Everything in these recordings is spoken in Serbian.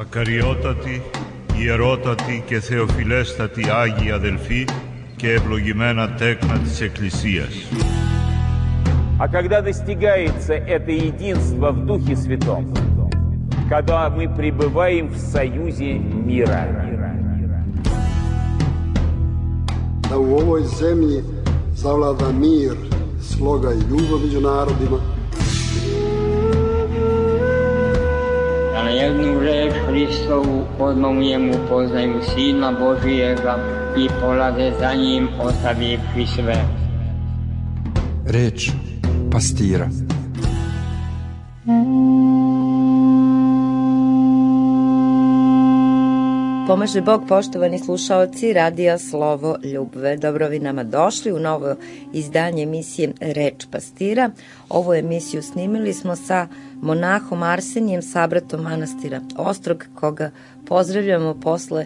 Ακαριότατη, ιερότατη και θεοφιλέστατη Άγιοι αδελφοί και ευλογημένα τέκνα της Εκκλησίας. А когда достигается это единство в Духе Святом, когда мы пребываем в союзе мира. Da u ovoj zemlji zavlada mir, sloga i ljubav među narodima. Da na jednu reč Hristovu odmah poznaju Sina Božijega i polade za njim ostavivši sve. Reč pastira. Pomaže Bog, poštovani slušaoci Radija Slovo Ljubve. Dobro vi nama došli u novo izdanje emisije Reč pastira. Ovu emisiju snimili smo sa monahom Arsenijem, sabratom manastira Ostrog, koga pozdravljamo posle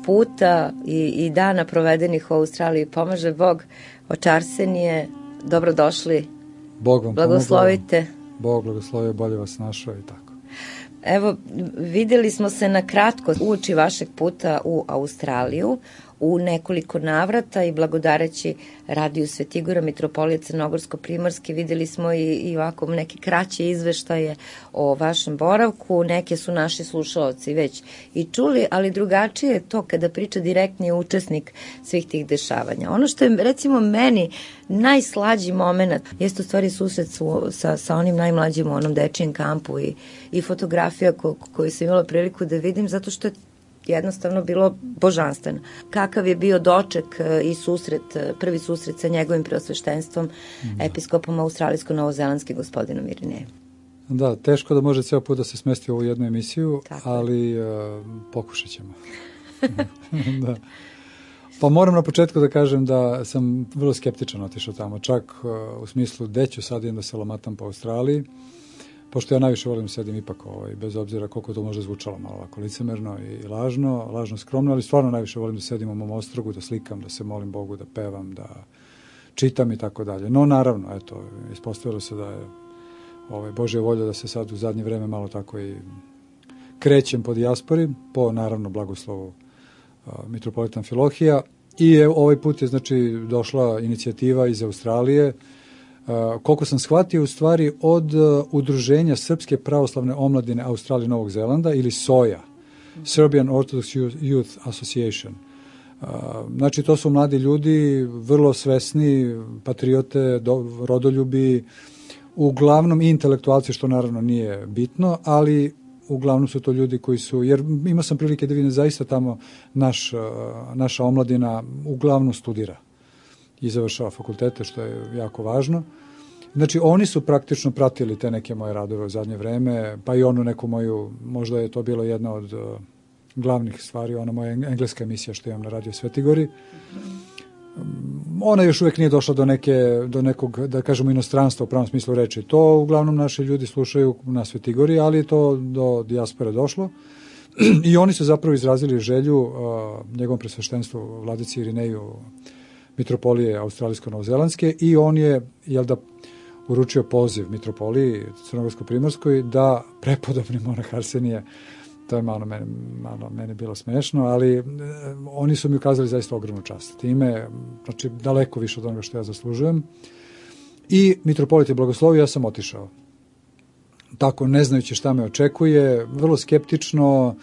puta i dana provedenih u Australiji. Pomaže Bog, oče Arsenije, dobrodošli. Bog vam blagoslovite. Pomogao. Bog blagoslovio, bolje vas našao i tako. Evo, videli smo se na kratko uoči vašeg puta u Australiju u nekoliko navrata i blagodareći Radiju Svetigora, Mitropolije Crnogorsko-Primorske, videli smo i ovako neke kraće izveštaje o vašem boravku. Neke su naši slušaoci već i čuli, ali drugačije je to kada priča direktni učesnik svih tih dešavanja. Ono što je, recimo, meni najslađi moment jeste u stvari susret sa onim najmlađim u onom dečijem kampu i fotografija koju sam imala priliku da vidim, zato što je jednostavno bilo božanstveno. Kakav je bio doček i susret, prvi susret sa njegovim preosveštenstvom, episkopom australijsko-novozelandskim gospodinom Irinejem. Da, teško da može ceo put da se smesti u ovu jednu emisiju, tako, ali pokušat ćemo. Da. Pa moram na početku da kažem da sam vrlo skeptičan otišao tamo, čak u smislu gde ću sad idem da se lamatam po Australiji, pošto ja najviše volim sedim ipak, bez obzira koliko to može zvučalo malo ovako licemerno i lažno skromno, ali stvarno najviše volim da sedim u mom ostrogu, da slikam, da se molim Bogu, da pevam, da čitam i tako dalje. No naravno, eto, ispostavilo se da je Božja volja da se sad u zadnje vreme malo tako i krećem po dijaspori, po naravno blagoslovu mitropolita Amfilohija, i ovaj put je znači došla inicijativa iz Australije, koliko sam shvatio u stvari od udruženja Srpske pravoslavne omladine Australije Novog Zelanda ili SOJA, Serbian Orthodox Youth Association. Znači to su mladi ljudi, vrlo svesni, patriote, rodoljubi, uglavnom i intelektualci, što naravno nije bitno, ali uglavnom su to ljudi koji su, jer imao sam prilike da vidim zaista tamo naša omladina uglavnom studira i završava fakultete, što je jako važno. Znači, oni su praktično pratili te neke moje radove u zadnje vreme, pa i onu neku moju, možda je to bilo jedna od glavnih stvari, ona moja engleska emisija što imam na Radio Svetigori. Ona još uvijek nije došla do nekog, da kažemo, inostranstva u pravom smislu reči. To uglavnom naši ljudi slušaju na Svetigori, ali je to do dijaspore došlo. I oni su zapravo izrazili želju njegovom presveštenstvu vladici Irineju, mitropolije australijsko-novozelandske, i on je, uručio poziv mitropoliji Crnogorsko-Primorskoj da prepodobni monah Arsenije, to je malo meni bilo smešno, ali oni su mi ukazali zaista ogromnu čast. Time, znači, daleko više od onoga što ja zaslužujem. I mitropolit je blagoslovio, ja sam otišao. Tako, ne znajući šta me očekuje, vrlo skeptično.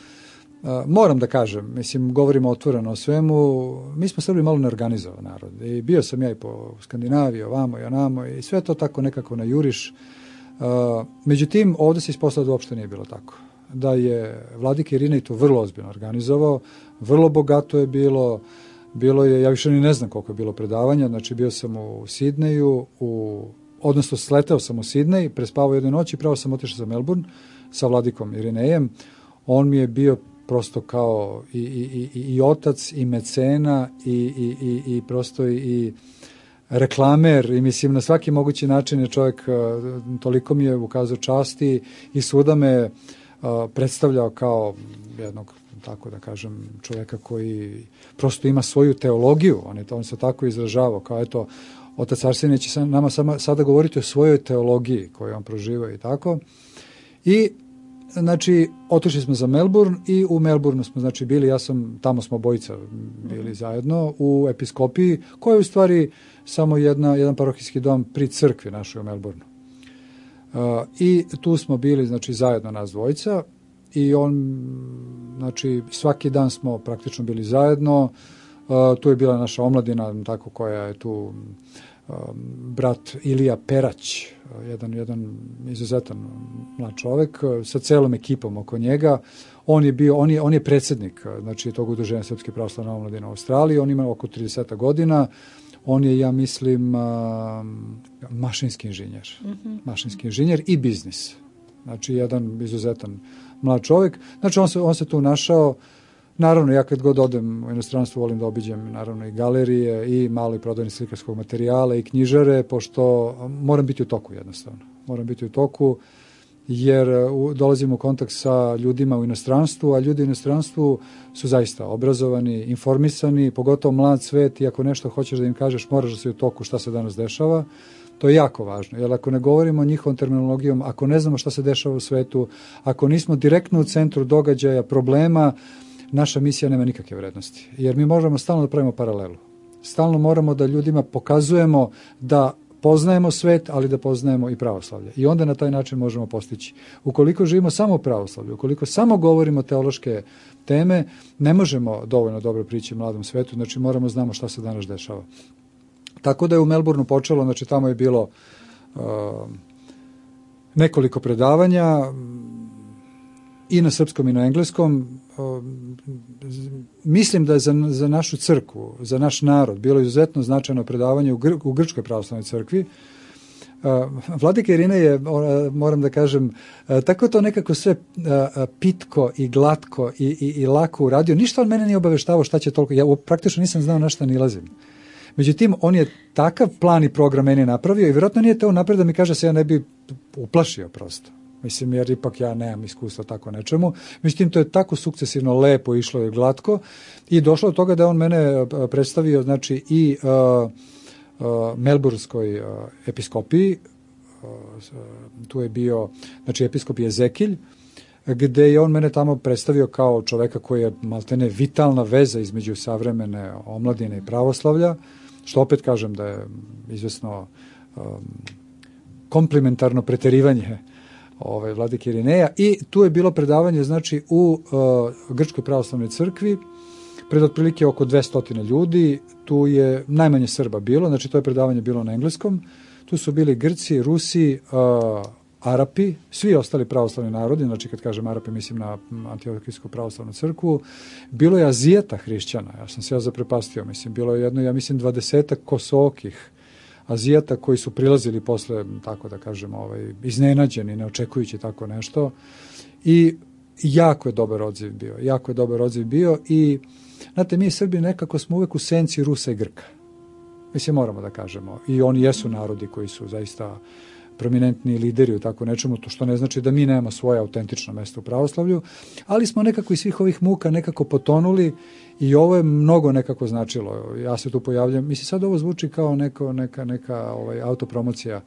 Moram da kažem, mislim, govorimo otvoreno o svemu, mi smo Srbi malo neorganizovan narod i bio sam ja i po Skandinaviji, ovamo i onamo i sve to tako nekako na juriš. Međutim, ovde se ispostavilo da uopšte nije bilo tako. Da je vladika Irinej to vrlo ozbiljno organizovao, vrlo bogato je bilo je, ja više ni ne znam koliko je bilo predavanja, znači bio sam u Sidneju, odnosno sleteo sam u Sidnej, prespavao jednu noć i pravo sam otišao za Melbourne sa vladikom Irinejem. On mi je bio prosto kao i otac i mecena i prosto i reklamer, i mislim na svaki mogući način je čovjek, toliko mi je ukazao časti i svuda me predstavljao kao jednog, tako da kažem, čovjeka koji prosto ima svoju teologiju, on se tako izražavao, kao eto, otac Arsenije će nama sada govoriti o svojoj teologiji koju on proživao i tako. I znači, otišli smo za Melbourne i u Melbourneu smo, znači, bili, tamo smo obojica bili zajedno u episkopiji, koja je u stvari samo jedan parohijski dom pri crkvi našoj u Melbourneu. I tu smo bili, znači, zajedno nas dvojica i znači, svaki dan smo praktično bili zajedno. Tu je bila naša omladina, tako, koja je tu, brat Ilija Perać, jedan izuzetan mlad čovek, sa celom ekipom oko njega. On je predsjednik, znači, tog udruženja Srpske pravoslavne omladine u Australiji. On ima oko 30 godina. On je, ja mislim, mašinski inženjer. Mašinski inženjer i biznis. Znači, jedan izuzetan mlad čovjek. Znači, on se tu našao. Naravno, ja kad god odem u inostranstvo volim da obiđem, naravno, i galerije i malo i prodajne slikarskog materijala i knjižare, pošto moram biti u toku jednostavno. Moram biti u toku jer dolazim u kontakt sa ljudima u inostranstvu, a ljudi u inostranstvu su zaista obrazovani, informisani, pogotovo mlad svet, i ako nešto hoćeš da im kažeš, moraš da si u toku šta se danas dešava. To je jako važno, jer ako ne govorimo njihovom terminologijom, ako ne znamo šta se dešava u svetu, ako nismo direktno u centru događaja, problema, naša misija nema nikakve vrednosti. Jer mi možemo stalno da pravimo paralelu. Stalno moramo da ljudima pokazujemo da poznajemo svet, ali da poznajemo i pravoslavlje. I onda na taj način možemo postići. Ukoliko živimo samo u pravoslavlju, ukoliko samo govorimo teološke teme, ne možemo dovoljno dobro prići mladom svetu, znači moramo znamo šta se danas dešava. Tako da je u Melbourneu počelo, znači tamo je bilo nekoliko predavanja i na srpskom i na engleskom. Mislim da je za našu crkvu, za naš narod bilo izuzetno značajno predavanje u Grčkoj pravoslavnoj crkvi. Vladika Irinej je, moram da kažem, tako to nekako sve pitko i glatko i lako uradio. Ništa on mene nije obaveštavao šta će toliko. Ja praktično nisam znao na šta nilazim. Međutim, on je takav plan i program meni napravio i vjerojatno nije teo napred da mi kaže se ja ne bi uplašio prosto. Mislim, jer ipak ja nemam iskustva tako nečemu. Međutim, to je tako sukcesivno lepo išlo i glatko i došlo do toga da on mene predstavio, znači, i Melbourneskoj episkopiji. Tu je bio, znači, episkop Jezekilj, gde je on mene tamo predstavio kao čoveka koji je maltene vitalna veza između savremene omladine i pravoslavlja, što opet kažem da je izvesno komplementarno preterivanje vladike Irineja. I tu je bilo predavanje, znači, u Grčkoj pravoslavnoj crkvi pred otprilike oko 200 ljudi. Tu je najmanje Srba bilo, znači to je predavanje bilo na engleskom. Tu su bili Grci, Rusi, Arapi, svi ostali pravoslavni narodi, znači kad kažem Arapi mislim na Antiohijsku pravoslavnu crkvu. Bilo je Azijata hrišćana, ja sam se zaprepastio, mislim, bilo je jedno, ja mislim, 20 kosokih Azijata koji su prilazili posle, tako da kažem, iznenađeni, ne očekujući tako nešto. I jako je dobar odziv bio i, znate, mi Srbi nekako smo uvek u senci Rusa i Grka. Mislim, moramo da kažemo. I oni jesu narodi koji su zaista prominentni lideri u tako nečemu, to što ne znači da mi nemamo svoje autentično mesto u pravoslavlju, ali smo nekako iz svih ovih muka nekako potonuli i ovo je mnogo nekako značilo. Ja se tu pojavljam, mislim, sad ovo zvuči kao neka autopromocija,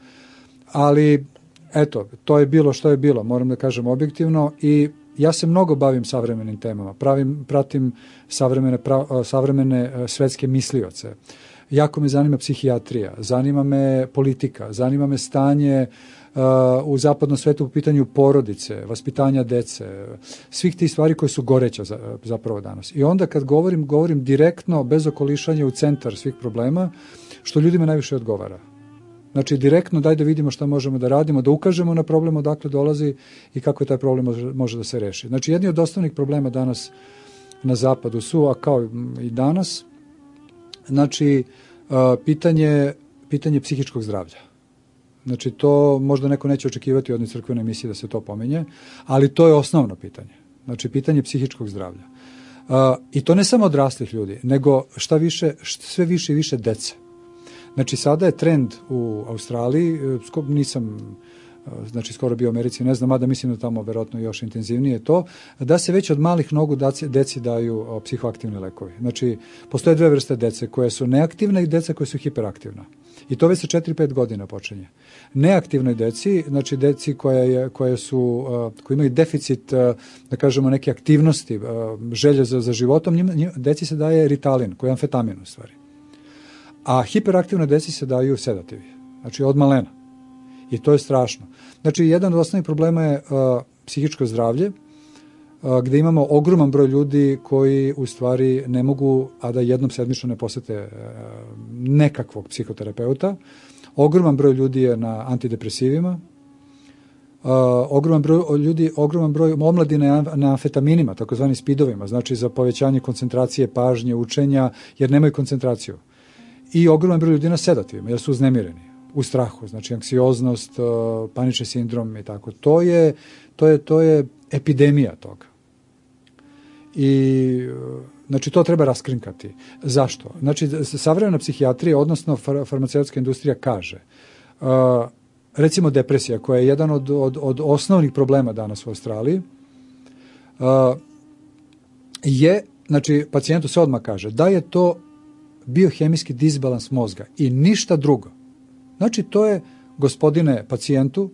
ali eto, to je bilo što je bilo, moram da kažem objektivno, i ja se mnogo bavim savremenim temama, pratim savremene svetske mislioce. Jako me zanima psihijatrija, zanima me politika, zanima me stanje u zapadnom svetu po pitanju porodice, vaspitanja dece, svih tih stvari koje su goreća zapravo danas. I onda kad govorim direktno, bez okolišanja, u centar svih problema, što ljudima najviše odgovara. Znači, direktno daj da vidimo šta možemo da radimo, da ukažemo na problem odakle dolazi i kako je taj problem može da se reši. Znači, jedni od osnovnih problema danas na zapadu su, a kao i danas, znači, pitanje psihičkog zdravlja. Znači, to možda neko neće očekivati od crkvene emisije da se to pominje, ali to je osnovno pitanje. Znači, pitanje psihičkog zdravlja. I to ne samo odraslih ljudi, nego sve više i više dece. Znači, sada je trend u Australiji, nisam znači skoro bio u Americi, ne znam, mada mislim da tamo verovatno još intenzivnije to, da se već od malih nogu deci daju psihoaktivni lekovi. Znači, postoje dve vrste dece koje su neaktivne i deca koje su hiperaktivna. I to već sa 4-5 godina počinje. Neaktivnoj deci, znači deci koje imaju deficit, da kažemo, neke aktivnosti, želje za životom, deci se daje Ritalin, koji je amfetamin u stvari. A hiperaktivnoj deci se daju sedativi, znači od malena. I to je strašno. Znači, jedan od osnovnih problema je psihičko zdravlje, gde imamo ogroman broj ljudi koji u stvari ne mogu, a da jednom sedmično ne posete nekakvog psihoterapeuta. Ogroman broj ljudi je na antidepresivima, ogroman broj omladine na amfetaminima, takozvani speedovima, znači za povećanje koncentracije, pažnje, učenja, jer nemaju koncentraciju. I ogroman broj ljudi na sedativima, jer su uznemireni, u strahu, znači anksioznost, panični sindrom i tako. To je epidemija toga. I znači to treba raskrinkati. Zašto? Znači savremena psihijatrija, odnosno farmaceutska industrija kaže, recimo depresija, koja je jedan od osnovnih problema danas u Australiji, znači pacijentu se odmah kaže da je to biohemijski disbalans mozga i ništa drugo. Znači to je, gospodine pacijentu,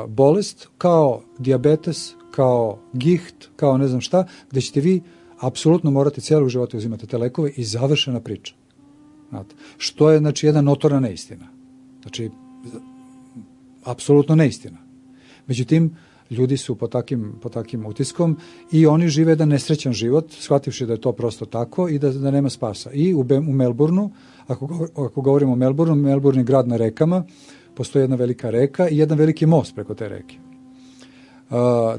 bolest kao dijabetes, kao giht, kao ne znam šta, gde ćete vi apsolutno morati cijelog života uzimati te lekove i završena priča. Znate, što je, znači, jedna notorna neistina. Znači, apsolutno neistina. Međutim, ljudi su pod takim utiskom i oni žive jedan nesrećan život, shvativši da je to prosto tako i da nema spasa. I u Melbourneu, ako govorimo o Melbourneu, Melbourne je grad na rekama, postoji jedna velika reka i jedan veliki most preko te reke.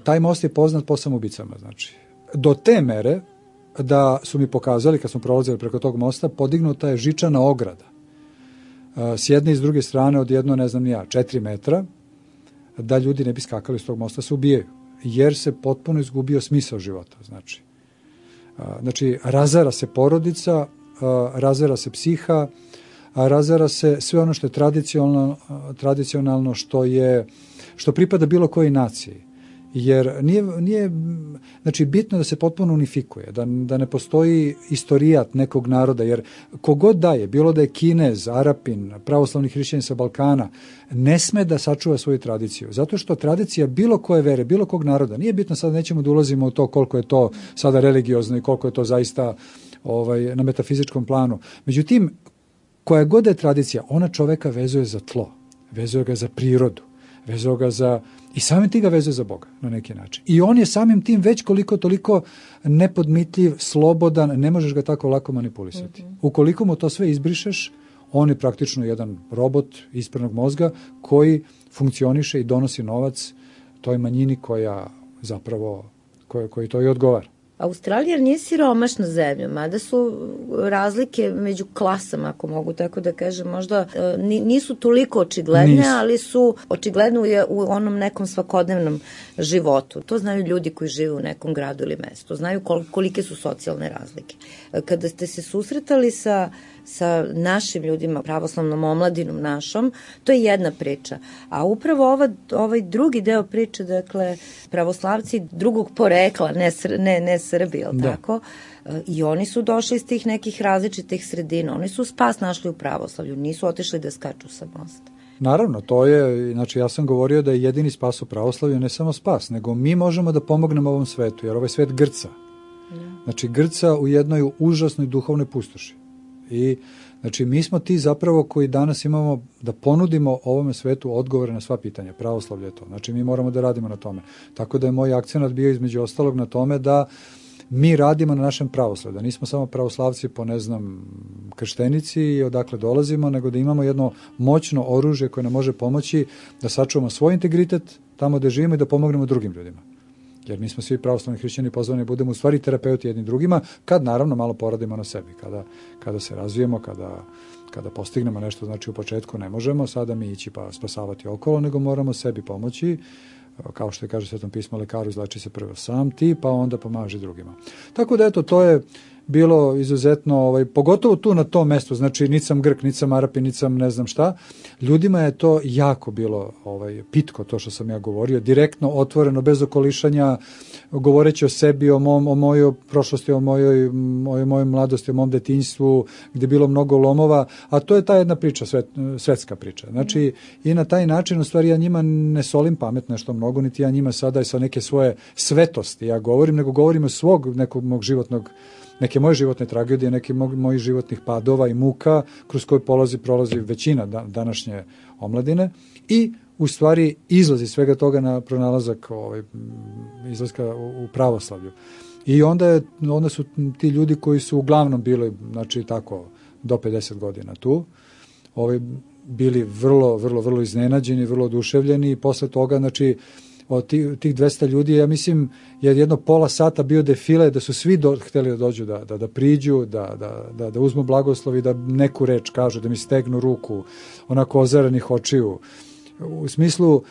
Taj most je poznat po samoubicama, znači. Do te mere da su mi pokazali, kad smo prolazili preko tog mosta, podignuta je žičana ograda. S jedne i s druge strane od 4 metra, da ljudi ne bi skakali s tog mosta, se ubijaju. Jer se potpuno izgubio smisao života, znači. Znači, razara se porodica, razara se psiha, razara se sve ono što je tradicionalno, što pripada bilo kojoj naciji. Jer nije znači bitno da se potpuno unifikuje, da ne postoji istorijat nekog naroda, jer kogod daje, bilo da je Kinez, Arapin, pravoslavni hrišćanin sa Balkana, ne sme da sačuva svoju tradiciju, zato što tradicija bilo koje vere, bilo kog naroda, nije bitno, sad nećemo da ulazimo u to koliko je to sada religiozno i koliko je to zaista na metafizičkom planu. Međutim, koja god je tradicija, ona čoveka vezuje za tlo, vezuje ga za prirodu, vezuje ga i samim tim ga vezuje za Boga na neki način. I on je samim tim već koliko toliko nepodmitljiv, slobodan, ne možeš ga tako lako manipulisati. Ukoliko mu to sve izbrišeš, on je praktično jedan robot ispranog mozga koji funkcioniše i donosi novac toj manjini koja zapravo, koji to i odgovara. Australija nije siromašna zemlja, mada su razlike među klasama, ako mogu tako da kažem, možda nisu toliko očigledne, ali su očigledne u onom nekom svakodnevnom životu. To znaju ljudi koji žive u nekom gradu ili mestu, znaju kolike su socijalne razlike. Kada ste se susretali sa našim ljudima, pravoslavnom omladinom našom, to je jedna priča. A upravo ovaj drugi deo priče, dakle, pravoslavci drugog porekla, ne Srbi, jel tako? I oni su došli iz tih nekih različitih sredina. Oni su spas našli u pravoslavlju, nisu otišli da skaču sa mosta. Naravno, to je, znači ja sam govorio da je jedini spas u pravoslavlju ne samo spas, nego mi možemo da pomognemo ovom svetu, jer ovaj svet grca. Znači grca u jednoj užasnoj duhovnoj pustoši. I znači mi smo ti zapravo koji danas imamo da ponudimo ovome svetu odgovore na sva pitanja. Pravoslavlje je to. Znači mi moramo da radimo na tome. Tako da je moj akcenat bio između ostalog na tome da mi radimo na našem pravoslavlju. Da nismo samo pravoslavci po krštenici i odakle dolazimo, nego da imamo jedno moćno oružje koje nam može pomoći da sačuvamo svoj integritet tamo gde živimo i da pomognemo drugim ljudima. Jer mi smo svi pravoslavni hrišćani pozvani budemo u stvari terapeuti jednim drugima, kad naravno malo poradimo na sebi, kada se razvijemo, kada postignemo nešto, znači u početku ne možemo sada mi ići pa spasavati okolo, nego moramo sebi pomoći, kao što je kaže Svetom pismo, lekaru izleči se prvo sam ti, pa onda pomaži drugima. Tako da eto, to je bilo izuzetno, pogotovo tu na tom mestu, znači niti sam Grk, niti sam Arapin, niti sam ne znam šta, ljudima je to jako bilo pitko, to što sam ja govorio, direktno, otvoreno, bez okolišanja, govoreći o sebi, o mojoj prošlosti, o mojoj mladosti, o mom detinjstvu, gdje je bilo mnogo lomova, a to je ta jedna priča, svetska priča. Znači, i na taj način, u stvari, ja njima ne solim pamet nešto mnogo, niti ja njima sada i sa neke svoje svetosti ja govorim, nego govorim o svog nekog mog životnog, neke moje životne tragedije, neke mojih životnih padova i muka kroz koje prolazi većina današnje omladine i u stvari izlazi svega toga na pronalazak izlaska u pravoslavlju. I onda su ti ljudi koji su uglavnom bili, znači tako, do 50 godina tu, bili vrlo, vrlo, vrlo iznenađeni, vrlo oduševljeni i posle toga, znači, od tih 200 ljudi, ja mislim, je jedno pola sata bio defile, da su svi hteli da dođu, da priđu, da uzmu blagoslov i da neku reč kažu, da mi stegnu ruku, onako ozarenih očiju. U smislu,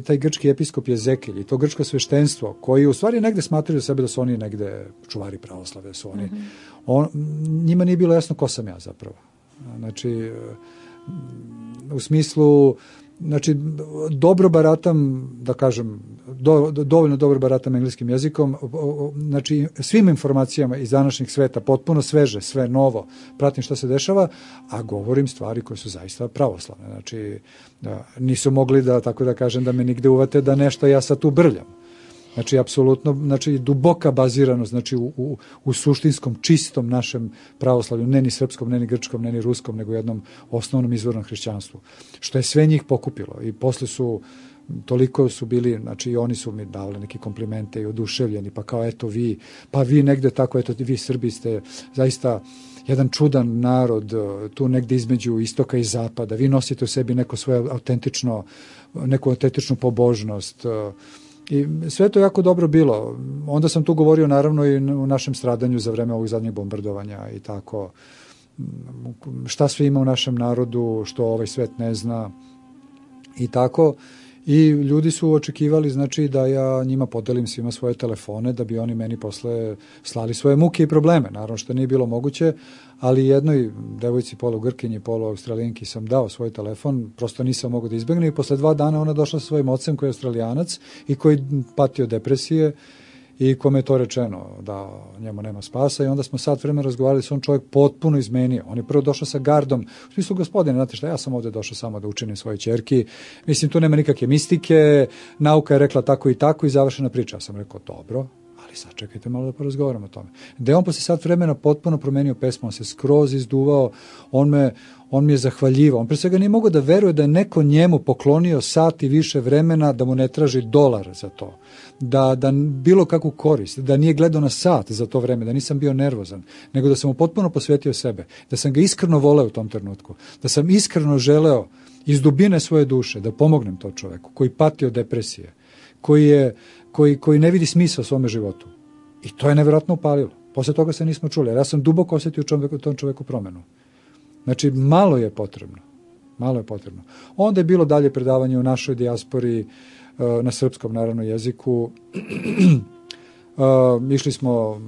taj grčki episkop Jezekilj i to grčko sveštenstvo, koji u stvari negde smatraju sebe da su oni negde čuvari pravoslave, da su oni. Njima nije bilo jasno ko sam ja zapravo. Znači, u smislu, znači, dobro baratam, da kažem, dovoljno dobro baratam engleskim jezikom, znači, svim informacijama iz današnjeg sveta, potpuno sveže, sve novo, pratim šta se dešava, a govorim stvari koje su zaista pravoslavne. Znači, nisu mogli da, tako da kažem, da me nigde uvate da nešto ja sad tu brljam. Znači, apsolutno, znači, duboka baziranost, znači, u suštinskom, čistom našem pravoslavlju, ne ni srpskom, ne ni grčkom, ne ni ruskom, nego jednom osnovnom izvornom hrišćanstvu. Što je sve njih pokupilo. I posle toliko su bili, znači, i oni su mi davali neke komplimente i oduševljeni, pa kao, eto vi, pa vi negde tako, eto, vi Srbi ste zaista jedan čudan narod, tu negde između istoka i zapada, vi nosite u sebi neku autentičnu pobožnost, i sve to jako dobro bilo. Onda sam tu govorio naravno i u našem stradanju za vreme ovog zadnjeg bombardovanja i tako. Šta sve ima u našem narodu, što ovaj svet ne zna i tako. I ljudi su očekivali, znači, da ja njima podelim svima svoje telefone, da bi oni meni posle slali svoje muke i probleme. Naravno što nije bilo moguće, ali jednoj devojci polu Grkinji, polu Australijanki sam dao svoj telefon, prosto nisam mogao da izbegnem i posle 2 dana ona došla sa svojim ocem koji je Australijanac i koji patio depresije i kome je to rečeno da njemu nema spasa i onda smo sat vremena razgovarali s on čovjek potpuno izmenio. On je prvo došao sa gardom, u smislu, gospodine, znate šta, ja sam ovde došao samo da učinim svoje ćerki, mislim, tu nema nikakve mistike, nauka je rekla tako i završena priča. Ja sam rekao, dobro, ali sad čekajte malo da porazgovaramo o tome. Da je on posle sat vremena potpuno promenio pesmu, on se skroz izduvao, on mi je zahvaljivao. On pre svega nije mogao da veruje da je neko njemu poklonio sat i više vremena, da mu ne traži $1 za to, da bilo kakvu korist, da nije gledao na sat za to vreme, da nisam bio nervozan, nego da sam mu potpuno posvetio sebe, da sam ga iskreno voleo u tom trenutku, da sam iskreno želeo iz dubine svoje duše da pomognem tom čoveku koji pati od depresije, koji ne vidi smisla u svome životu. I to je nevjerojatno upalilo. Posle toga se nismo čuli, jer ja sam duboko osjetio u tom čoveku promenu. Znači, malo je potrebno. Onda je bilo dalje predavanje u našoj dijaspori, na srpskom, naravno, jeziku. Išli smo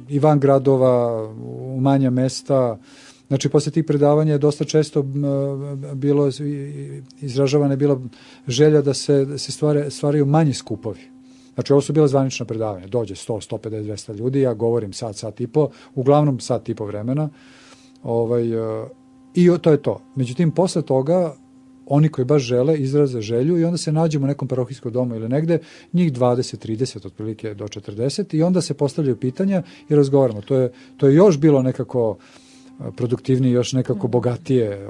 i van gradova, u manja mesta. Znači, posle tih predavanja je dosta često bilo izražavana je bila želja da se stvaraju manji skupovi. Znači, ovo su bila zvanična predavanja. Dođe 100, 150, 200 ljudi, ja govorim sat i po, uglavnom sat i po vremena. I to je to. Međutim, posle toga, oni koji baš žele izraze želju i onda se nađemo u nekom parohijskom domu ili negde, njih 20, 30, otprilike do 40 i onda se postavljaju pitanja i razgovaramo. To je još bilo nekako produktivnije, još nekako bogatije,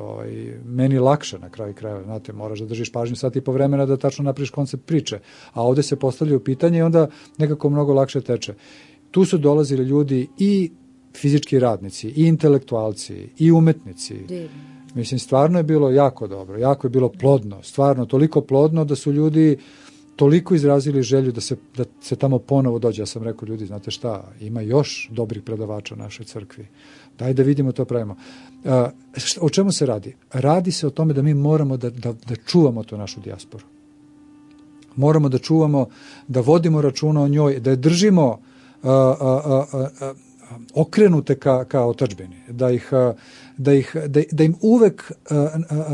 meni lakše na kraju krajeva, znate, moraš da držiš pažnju sat i po vremena da tačno napraviš koncept priče, a ovde se postavljaju pitanja i onda nekako mnogo lakše teče. Tu su dolazili ljudi i fizički radnici, i intelektualci, i umetnici. Mislim, stvarno je bilo jako dobro, jako je bilo plodno, stvarno toliko plodno da su ljudi toliko izrazili želju da se tamo ponovo dođe. Ja sam rekao, ljudi, znate šta, ima još dobrih predavača u našoj crkvi. Daj da vidimo to pravimo. O čemu se radi? Radi se o tome da mi moramo da čuvamo tu našu dijasporu. Moramo da čuvamo, da vodimo računa o njoj, da je držimo okrenute ka otadžbini, da im uvek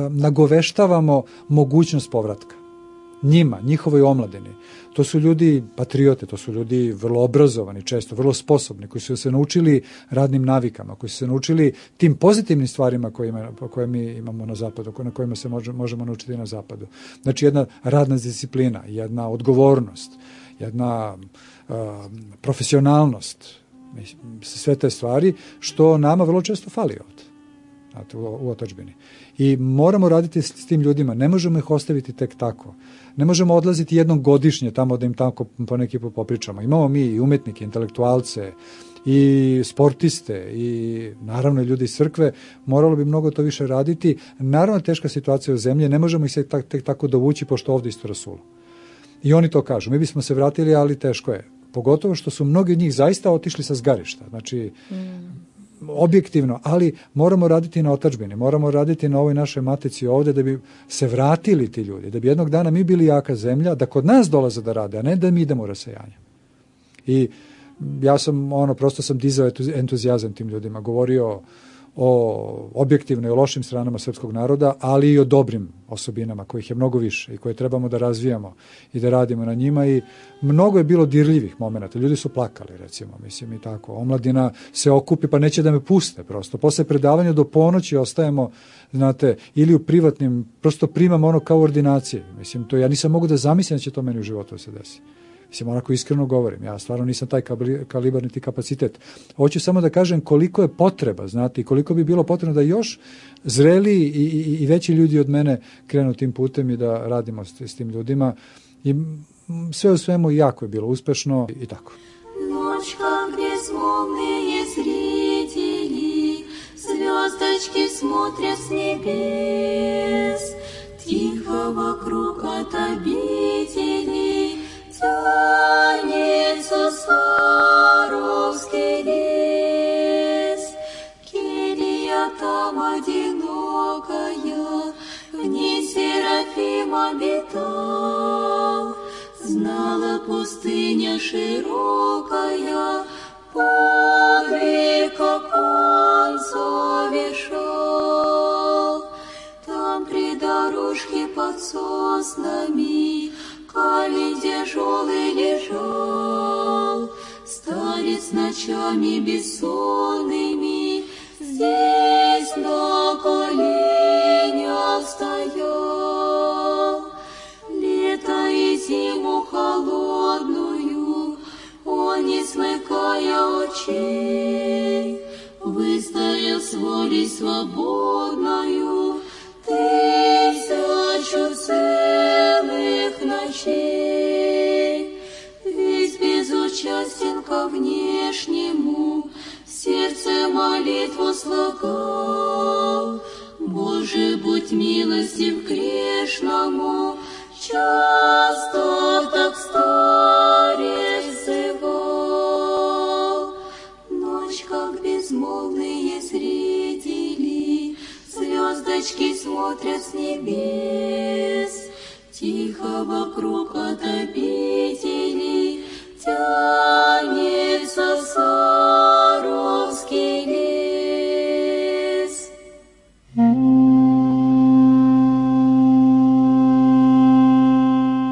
nagoveštavamo mogućnost povratka. Njima, njihovoj omladini. To su ljudi patriote, to su ljudi vrlo obrazovani, često vrlo sposobni, koji su se naučili radnim navikama, koji su se naučili tim pozitivnim stvarima koje mi imamo na zapadu, na kojima se možemo naučiti na zapadu. Znači jedna radna disciplina, jedna odgovornost, jedna profesionalnost, sve te stvari, što nama vrlo često fali ovde, znate, u otadžbini. I moramo raditi s tim ljudima, ne možemo ih ostaviti tek tako. Ne možemo odlaziti jednom godišnje tamo da im tako po neki put popričamo. Imamo mi i umetnike, intelektualce, i sportiste, i naravno i ljudi iz crkve, moralo bi mnogo to više raditi. Naravno, teška situacija u zemlji, ne možemo ih se tek tako dovući, pošto ovde isto rasulo. I oni to kažu, mi bismo se vratili, ali teško je. Pogotovo što su mnogi od njih zaista otišli sa zgarišta. Znači, objektivno, ali moramo raditi na otadžbini, moramo raditi na ovoj našoj matici ovde da bi se vratili ti ljudi, da bi jednog dana mi bili jaka zemlja, da kod nas dolaze da rade, a ne da mi idemo u rasejanje. I ja sam, prosto sam dizao entuzijazam tim ljudima, govorio o objektivno i o lošim stranama srpskog naroda, ali i o dobrim osobinama, kojih je mnogo više i koje trebamo da razvijamo i da radimo na njima. I mnogo je bilo dirljivih momenata. Ljudi su plakali, recimo, mislim i tako. Omladina se okupi, pa neće da me puste prosto. Posle predavanja do ponoći ostajemo, znate, ili u privatnim, prosto primamo kao ordinacije. Mislim, to ja nisam mogu da zamislim da će to meni u životu da se desi. Mislim, onako iskreno govorim, ja stvarno nisam taj kalibar niti kapacitet. Hoću samo da kažem koliko je potreba, znate, i koliko bi bilo potrebno da još zreli i veći ljudi od mene krenu tim putem i da radimo s tim ljudima. I sve u svemu jako je bilo uspešno i tako. Ночь, как безмолвные зрители, звездочки смотрят с небес, тихо вокруг от обители тянется Саровский лес. Келья там одинокая, в ней Серафим обитал. Знала пустыня широкая, подвиг, как он совершал. Там при дорожке под соснами камень тяжелый лежал, старец ночами бессонными здесь на коленях стоял. Лето и зиму холодную он, не смыкая очей, выстоял с волей свободною тысячу целых ночей. Весь безучастен ко внешнему, в сердце молитву слагал. Боже, будь милостив грешному, часто так старец взывал. Ночь, как безмолвные зрители, звездочки смотрят с небес, тихо вокруг от обители тянется Саровский лес.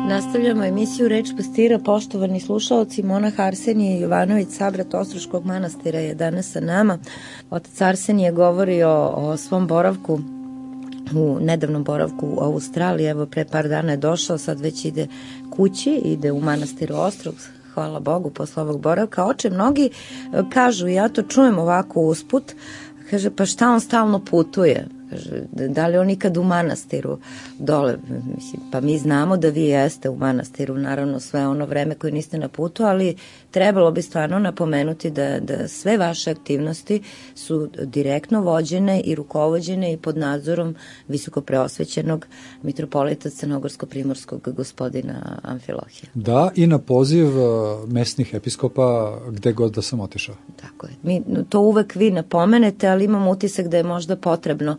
Nastavljamo emisiju Reč pastira. Poštovani slušaoci, monah Arsenije Jovanović, sabrat Ostroškog manastira, je danas sa nama. Otac Arsenije govorio o svom boravku, u nedavnom boravku u Australiji. Evo, pre par dana je došao, sad već ide kući, ide u manastir Ostrog, hvala Bogu, posle ovog boravka. Oče, mnogi kažu, ja to čujem ovako usput, kaže, pa šta on stalno putuje? Kaže, da li on nikad u manastiru dole? Mislim, pa mi znamo da vi jeste u manastiru, naravno sve ono vreme koje niste na putu, ali trebalo bi stvarno napomenuti da sve vaše aktivnosti su direktno vođene i rukovođene i pod nadzorom visoko preosvećenog mitropolita crnogorsko-primorskog gospodina Amfilohija. Da, i na poziv mesnih episkopa gde god da sam otišao. Tako je. Mi to uvek vi napomenete, ali imam utisak da je možda potrebno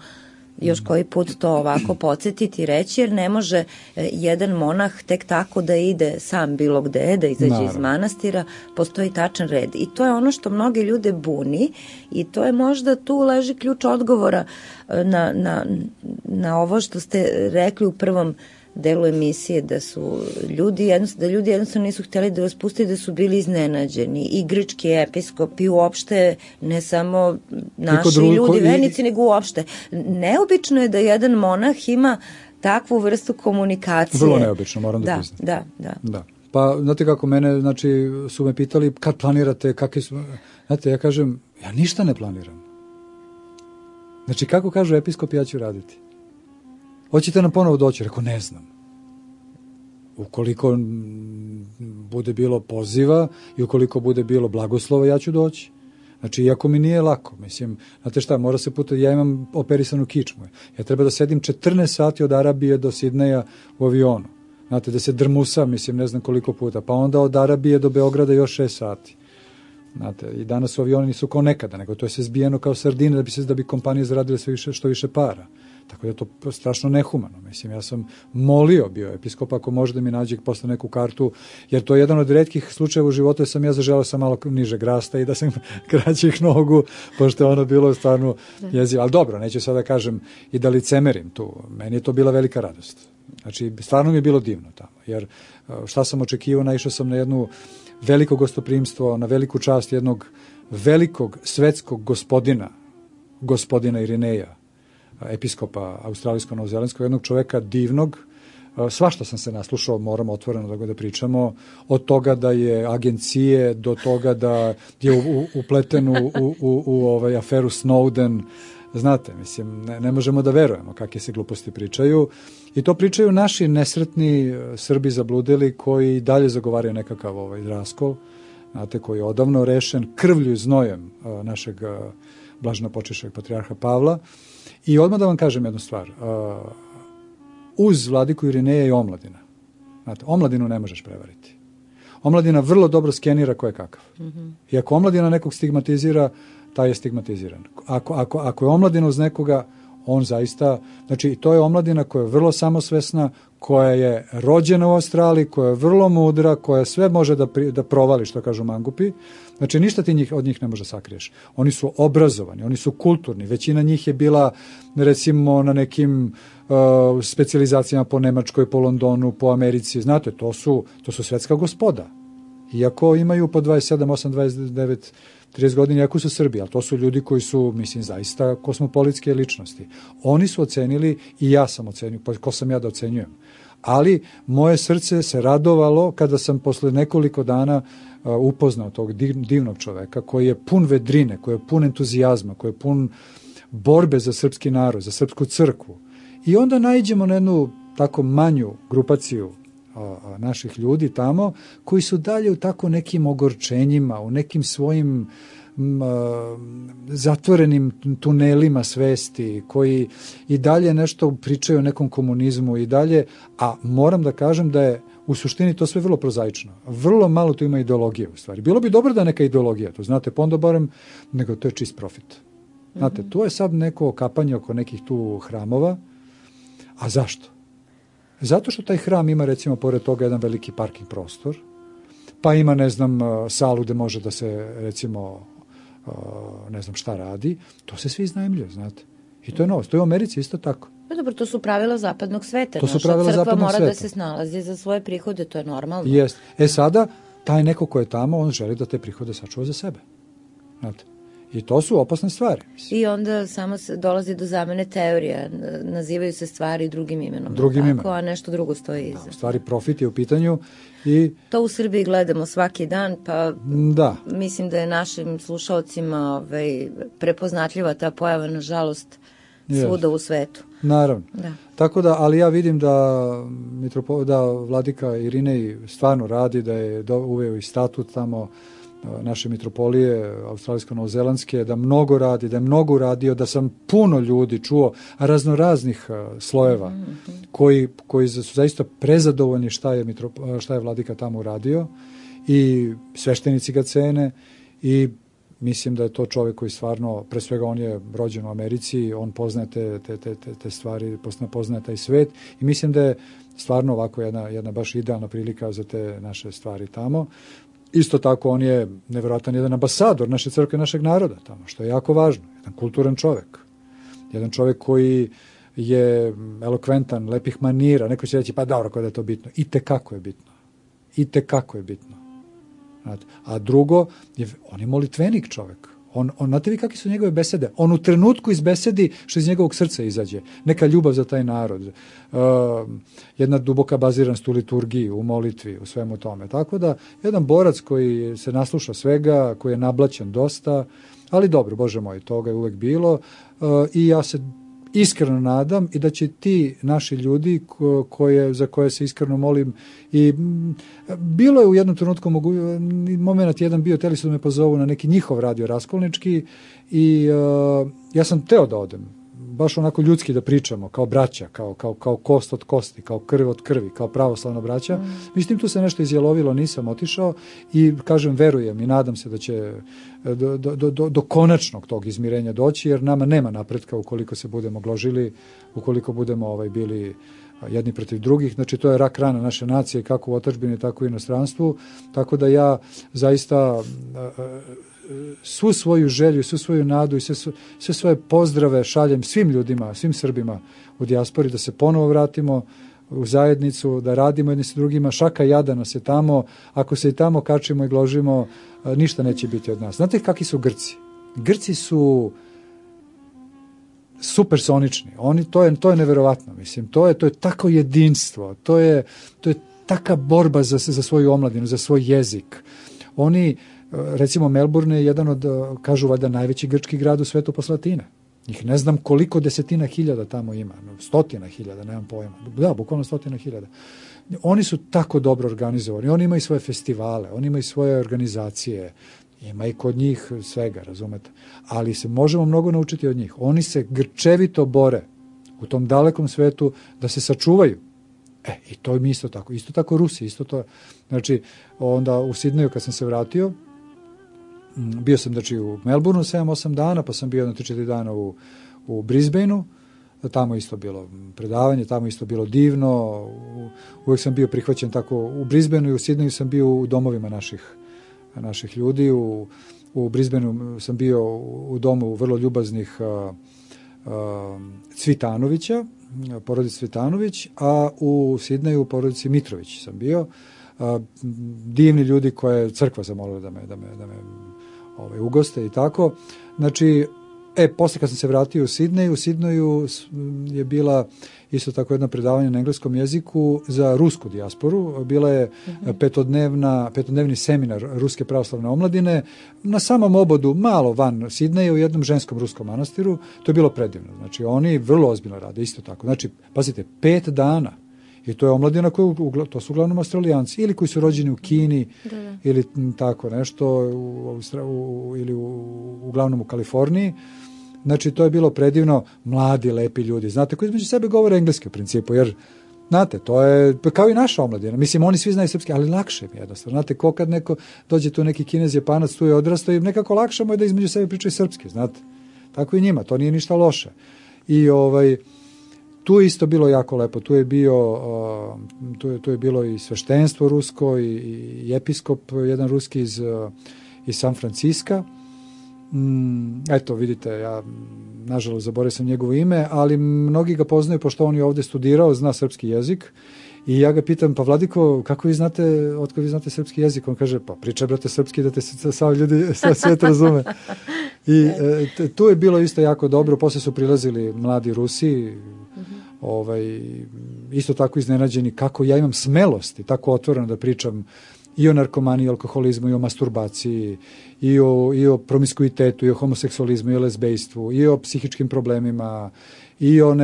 još koji put to ovako podsjetiti i reći, jer ne može jedan monah tek tako da ide sam bilo gde, da izađe iz manastira, postoji tačan red. I to je ono što mnoge ljude buni i to je možda tu leži ključ odgovora na ovo što ste rekli u prvom delu emisije, da su ljudi jednostavno nisu htjeli da vas puste, da su bili iznenađeni. I grčki episkopi uopšte, ne samo naši ljudi, vernici, nego uopšte. Neobično je da jedan monah ima takvu vrstu komunikacije. Vrlo neobično, moram da priznam. Da. Pa, znate kako, mene, znači, su me pitali kad planirate, kakvi su... Znate, ja kažem, ja ništa ne planiram. Znači, kako kažu episkopi, ja ću raditi. Hoćete nam ponovo doći? Rekao, ne znam. Ukoliko bude bilo poziva i ukoliko bude bilo blagoslova, ja ću doći. Znači, iako mi nije lako, mislim, znate šta, mora se puta, ja imam operisanu kičmu. Ja treba da sedim 14 sati od Arabije do Sidneja u avionu. Znate, da se drmusam, mislim, ne znam koliko puta. Pa onda od Arabije do Beograda još 6 sati. Znate, i danas u avioni nisu kao nekada, nego to je sve zbijeno kao sardine da bi kompanije zaradile što više para. Tako da je to strašno nehumano. Mislim, ja sam molio bio episkopa ako može da mi nađe posle neku kartu, jer to je jedan od retkih slučajeva u životu da sam ja zaželeo sam malo niže rasta i da sam kraćih nogu, pošto je ono bilo stvarno jezivo. Ali dobro, neću sada kažem i da licemerim tu. Meni je to bila velika radost. Znači, stvarno mi je bilo divno tamo, jer šta sam očekivao, naišao sam na jednu veliko gostoprimstvo, na veliku čast jednog velikog svetskog gospodina Irineja, episkopa australijsko-novozelandskog, jednog čoveka divnog. Svašta sam se naslušao, moramo otvoreno da pričamo, od toga da je agencije, do toga da je upleten u aferu Snowden. Znate, mislim, ne možemo da verujemo kakve se gluposti pričaju. I to pričaju naši nesretni Srbi zabludeli koji dalje zagovaraju nekakav raskol, znate, koji je odavno rešen krvlju i znojem našeg blaženopočivšeg patrijarha Pavla. I odmah da vam kažem jednu stvar. Uz vladiku Irineja je omladina. Znate, omladinu ne možeš prevariti. Omladina vrlo dobro skenira ko je kakav. I ako omladina nekog stigmatizira, taj je stigmatiziran. Ako je omladina uz nekoga, on zaista... Znači, to je omladina koja je vrlo samosvesna, koja je rođena u Australiji, koja je vrlo mudra, koja sve može da provali, što kažu mangupi. Znači, ništa ti od njih ne može sakriješ. Oni su obrazovani, oni su kulturni. Većina njih je bila, recimo, na nekim specijalizacijama po Nemačkoj, po Londonu, po Americi. Znate, to su svetska gospoda. Iako imaju po 27, 8, 29, 30 godina, iako su Srbi, ali to su ljudi koji su, mislim, zaista kosmopolitske ličnosti. Oni su ocenili i ja sam ocenio, pa ko sam ja da ocenjujem. Ali moje srce se radovalo kada sam posle nekoliko dana upoznao tog divnog čoveka koji je pun vedrine, koji je pun entuzijazma, koji je pun borbe za srpski narod, za srpsku crkvu. I onda naiđemo na jednu tako manju grupaciju naših ljudi tamo, koji su dalje u tako nekim ogorčenjima, u nekim svojim zatvorenim tunelima svesti, koji i dalje nešto pričaju o nekom komunizmu i dalje, a moram da kažem da je u suštini to sve vrlo prozaično. Vrlo malo tu ima ideologije u stvari. Bilo bi dobro da neka ideologija, to znate, pa onda barem, nego to je čist profit. Znate, tu je sad neko okapanje oko nekih tu hramova, a zašto? Zato što taj hram ima, recimo, pored toga jedan veliki parking prostor, pa ima, ne znam, salu gde može da se, recimo, ne znam šta radi, to se svi iznajmljuje, znate. I to je novost. To je u Americi isto tako. Dobro, to su pravila zapadnog sveta. To su pravila crkva zapadnog mora sveta. Da se snalazi za svoje prihode, to je normalno. Jest. Sada, taj neko ko je tamo, on želi da te prihode sačuva za sebe. Znate. I to su opasne stvari. I onda samo se dolazi do zamene teorija. Nazivaju se stvari drugim imenom. A nešto drugo stoji iza. Da, u stvari profit je u pitanju. I to u Srbiji gledamo svaki dan, pa mislim da je našim slušalcima prepoznatljiva ta pojava, nažalost, svuda u svetu. Naravno. Da. Tako da, ali ja vidim da vladika Irinej stvarno radi, da je uveo i statut tamo naše mitropolije australijsko-novozelandske, da mnogo radi, da je mnogo uradio, da sam puno ljudi čuo raznoraznih slojeva koji su zaista prezadovoljni šta je vladika tamo uradio i sveštenici ga cene i mislim da je to čovjek koji stvarno, pre svega on je rođen u Americi, on poznaje te stvari, poznaje taj svet i mislim da je stvarno ovako jedna baš idealna prilika za te naše stvari tamo. Isto tako on je nevjerojatan jedan ambasador naše crkve, našeg naroda tamo, što je jako važno. Jedan kulturan čovjek. Jedan čovjek koji je elokventan, lepih manira. Neko će reći, pa dobro, kada je to bitno. I tekako je bitno. I tekako je bitno. A drugo, on je molitvenik čovjek. Znate vi kakve su njegove besede? On u trenutku izbesedi što iz njegovog srca izađe. Neka ljubav za taj narod. Jedna duboka baziranost u liturgiji, u molitvi, u svemu tome. Tako da, jedan borac koji se nasluša svega, koji je nablaćen dosta, ali dobro, Bože moj, toga je uvek bilo. I ja se iskreno nadam i da će ti naši ljudi za koje se iskreno molim i bilo je u jednom trenutku moment jedan bio, teli su da me pozovu na neki njihov radio raskolnički i ja sam teo da odem, baš onako ljudski da pričamo, kao braća, kao kost od kosti, kao krv od krvi, kao pravoslavna braća. Mislim, tu se nešto izjelovilo, nisam otišao i kažem, verujem i nadam se da će do konačnog tog izmirenja doći, jer nama nema napretka ukoliko se budemo gložili, ukoliko budemo bili jedni protiv drugih. Znači, to je rak rana naše nacije, kako u otadžbini, tako i u inostranstvu. Tako da ja zaista svu svoju želju, svu svoju nadu i sve svoje pozdrave šaljem svim ljudima, svim Srbima u dijaspori, da se ponovo vratimo u zajednicu, da radimo jedni sa drugima, šaka jada nas je tamo, ako se i tamo kačimo i gložimo, ništa neće biti od nas. Znate kakvi su Grci? Grci su supersonični, to je neverovatno, mislim, to je tako jedinstvo, to je taka borba za svoju omladinu, za svoj jezik. Oni, recimo Melbourne je jedan od, kažu valjda, najveći grčki grad u svetu posle Atine. Njih ne znam koliko desetina hiljada tamo ima, stotina hiljada, nemam pojma. Da, bukvalno 100.000. Oni su tako dobro organizovani, oni imaju svoje festivale, oni imaju svoje organizacije, ima i kod njih svega, razumete. Ali se možemo mnogo naučiti od njih. Oni se grčevito bore u tom dalekom svetu da se sačuvaju. I to mi isto tako. Isto tako Rusi, isto to. Znači, onda u Sidneju kad sam se vratio, bio sam znači u Melbourneu 7-8 dana, pa sam bio na 3-4 dana u Brisbaneu, tamo isto bilo predavanje, tamo isto bilo divno, uvijek sam bio prihvaćen tako, u Brisbaneu i u Sidneju sam bio u domovima naših ljudi, u Brisbaneu sam bio u domu vrlo ljubaznih Cvitanovića, porodici Cvitanović, a u Sidneju u porodici Mitrović sam bio, divni ljudi koje je crkva zamolila da me ugoste i tako. Znači, posle kad sam se vratio u Sidneju je bila isto tako jedno predavanje na engleskom jeziku za rusku dijasporu. Bila je petodnevni seminar Ruske pravoslavne omladine na samom obodu, malo van Sidneja, u jednom ženskom ruskom manastiru. To je bilo predivno. Znači, oni vrlo ozbiljno rade, isto tako. Znači, pazite, 5 dana. I to je omladina to su uglavnom Australijanci, ili koji su rođeni u Kini, ili tako nešto, ili uglavnom u Kaliforniji. Znači, to je bilo predivno, mladi, lepi ljudi, znate, koji između sebe govore engleski u principu, jer, znate, to je kao i naša omladina. Mislim, oni svi znaju srpski, ali lakše mi jednostavno. Znate, ko kad neko dođe tu neki Kinez, Japanac, tu je odrastao i nekako lakše mu je da između sebe pričaju srpski, znate. Tako i njima, to nije ništa loše. I tu je isto bilo jako lepo, tu je bilo i sveštenstvo rusko i episkop, jedan ruski iz San Franciska. Eto, vidite, ja nažalost zaboravio sam njegovo ime, ali mnogi ga poznaju pošto on je ovdje studirao, zna srpski jezik i ja ga pitam, pa Vladiko, kako vi znate, otko vi znate srpski jezik? On kaže, pa pričaj brate srpski da te svijet razume. I tu je bilo isto jako dobro, posle su prilazili mladi Rusi, isto tako iznenađeni kako ja imam smelosti, tako otvoreno da pričam i o narkomaniji, alkoholizmu, i o masturbaciji, i o promiskuitetu, i o homoseksualizmu, i o lezbejstvu, i o psihičkim problemima, i o,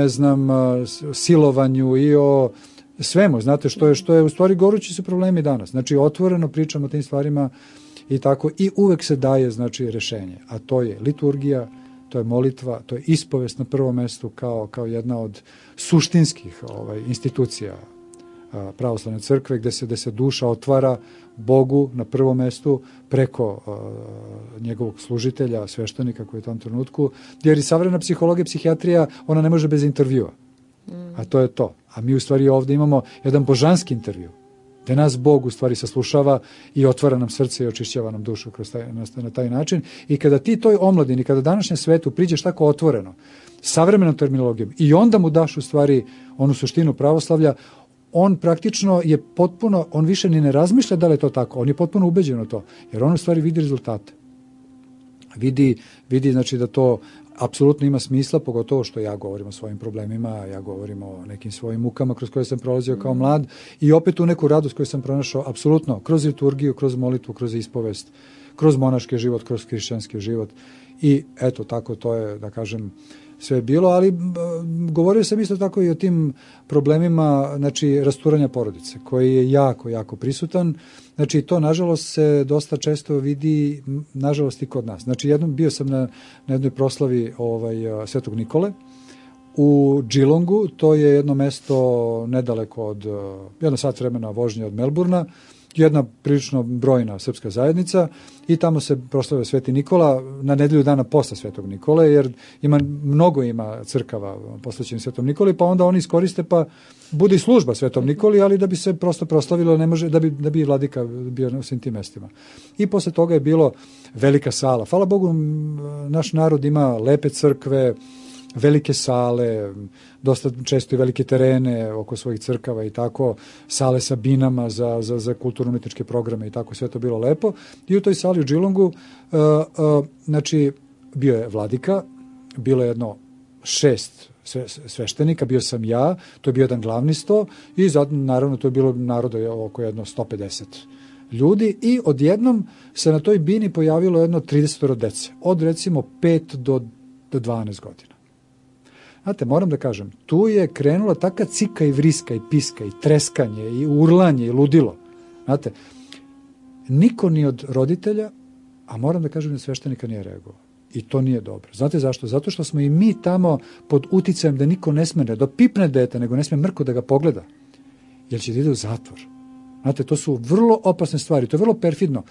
silovanju, i o svemu, znate, što je u stvari gorući su problemi danas. Znači, otvoreno pričamo o tim stvarima i tako, i uvek se daje, znači, rešenje, a to je liturgija, to je molitva, to je ispovest na prvom mestu kao jedna od suštinskih institucija pravoslavne crkve, gde se duša otvara Bogu na prvom mestu preko njegovog služitelja, sveštenika koji je u tom trenutku, jer i savremena psihologija, psihijatrija, ona ne može bez intervjua. A to je to. A mi u stvari ovde imamo jedan božanski intervju, gde nas Bog u stvari saslušava i otvara nam srce i očišćava nam dušu na taj način. I kada ti toj omladini, kada današnjem svetu priđeš tako otvoreno, savremenom terminologijom, i onda mu daš u stvari onu suštinu pravoslavlja, on praktično je potpuno, on više ni ne razmišlja da li je to tako, on je potpuno ubeđen u to, jer on u stvari vidi rezultate. Vidi znači da to apsolutno ima smisla, pogotovo što ja govorim o svojim problemima, ja govorim o nekim svojim mukama kroz koje sam prolazio kao mlad i opet u neku radost koju sam pronašao apsolutno kroz liturgiju, kroz molitvu, kroz ispovest, kroz monaški život, kroz hrišćanski život. I eto, tako to je, da kažem, sve bilo, ali govorio sam isto tako i o tim problemima, znači, rasturanja porodice, koji je jako, jako prisutan. Znači, to, nažalost, se dosta često vidi, nažalost, i kod nas. Znači, bio sam na jednoj proslavi Svetog Nikole u Geelongu, to je jedno mesto nedaleko od, 1 sat vremena vožnje od Melbourna, jedna prilično brojna srpska zajednica i tamo se proslavio Sveti Nikola na nedelju dana posle Svetog Nikole, jer mnogo ima crkava posvećenih Svetom Nikoli, pa onda oni iskoriste pa bude i služba Svetom Nikoli, ali da bi se prosto proslavilo, ne može, da bi vladika bio na svim tim mestima. I posle toga je bilo velika sala. Hvala Bogu, naš narod ima lepe crkve, velike sale, dosta često i velike terene oko svojih crkava i tako, sale sa binama za kulturno-umetničke programe i tako, sve to bilo lepo. I u toj sali u Geelongu, znači, bio je vladika, bilo je jedno 6 sveštenika, bio sam ja, to je bio jedan glavni sto i naravno to je bilo naroda oko jedno 150 ljudi i odjednom se na toj bini pojavilo jedno 30 dece, od recimo 5 do 12 godina. Znate, moram da kažem, tu je krenula taka cika i vriska i piska i treskanje i urlanje i ludilo. Znate, niko ni od roditelja, a moram da kažem da sveštenika nije reagovao. I to nije dobro. Znate zašto? Zato što smo i mi tamo pod uticajem da niko ne sme da pipne dete, nego ne sme mrko da ga pogleda. Jer će da ide u zatvor. Znate, to su vrlo opasne stvari. To je vrlo perfidno.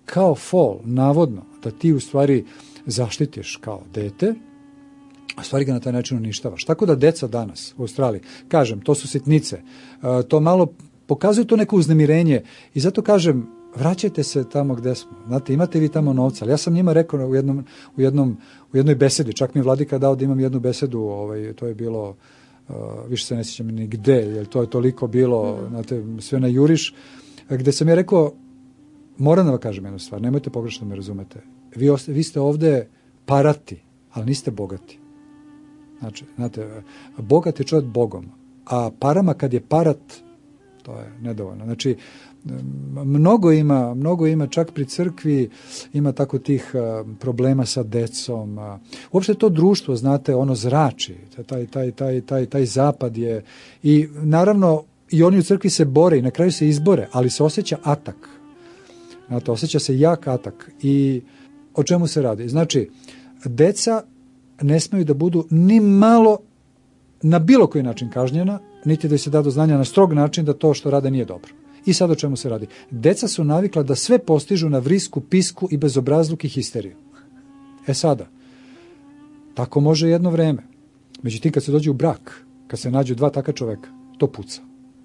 Kao fol, navodno, da ti u stvari zaštitiš kao dete, a stvari ga na taj način uništavaš. Tako da deca danas u Australiji, kažem, to su sitnice, to malo pokazuju to neko uznemirenje i zato kažem, vraćajte se tamo gde smo. Znate, imate vi tamo novca, ali ja sam njima rekao u jednoj besedi, čak mi je vladika dao da imam jednu besedu, to je bilo, više se ne sjećam ni gde, jer to je toliko bilo, znate, sve na juriš, gde sam ja rekao, moram da vam kažem jednu stvar, nemojte pogrešno me razumete, vi ste ovde parati, ali niste bogati. Znači, znate, bogat je čovjek Bogom, a parama kad je parat, to je nedovoljno. Znači, mnogo ima, čak pri crkvi ima tako tih problema sa decom. Uopšte to društvo, znate, ono zrači, taj zapad je, i naravno i oni u crkvi se bore i na kraju se izbore, ali se osjeća atak. Znate, osjeća se jak atak. I o čemu se radi? Znači, deca ne smeju da budu ni malo na bilo koji način kažnjena, niti da se da do znanja na strog način da to što rade nije dobro. I sad o čemu se radi? Deca su navikla da sve postižu na vrisku, pisku i bezobrazluk i histeriju. E sada, tako može jedno vreme. Međutim, kad se dođe u brak, kad se nađu dva taka čoveka, to puca.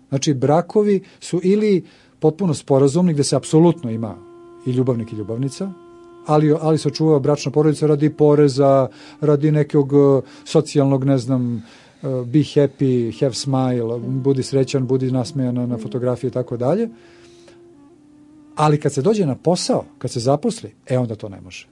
Znači, brakovi su ili potpuno sporazumni, gde se apsolutno ima i ljubavnik i ljubavnica, ali se očuva bračna porodica radi poreza, radi nekog socijalnog, ne znam, be happy, have smile, budi srećan, budi nasmejan na fotografiji i tako dalje. Ali kad se dođe na posao, kad se zaposli, onda to ne može.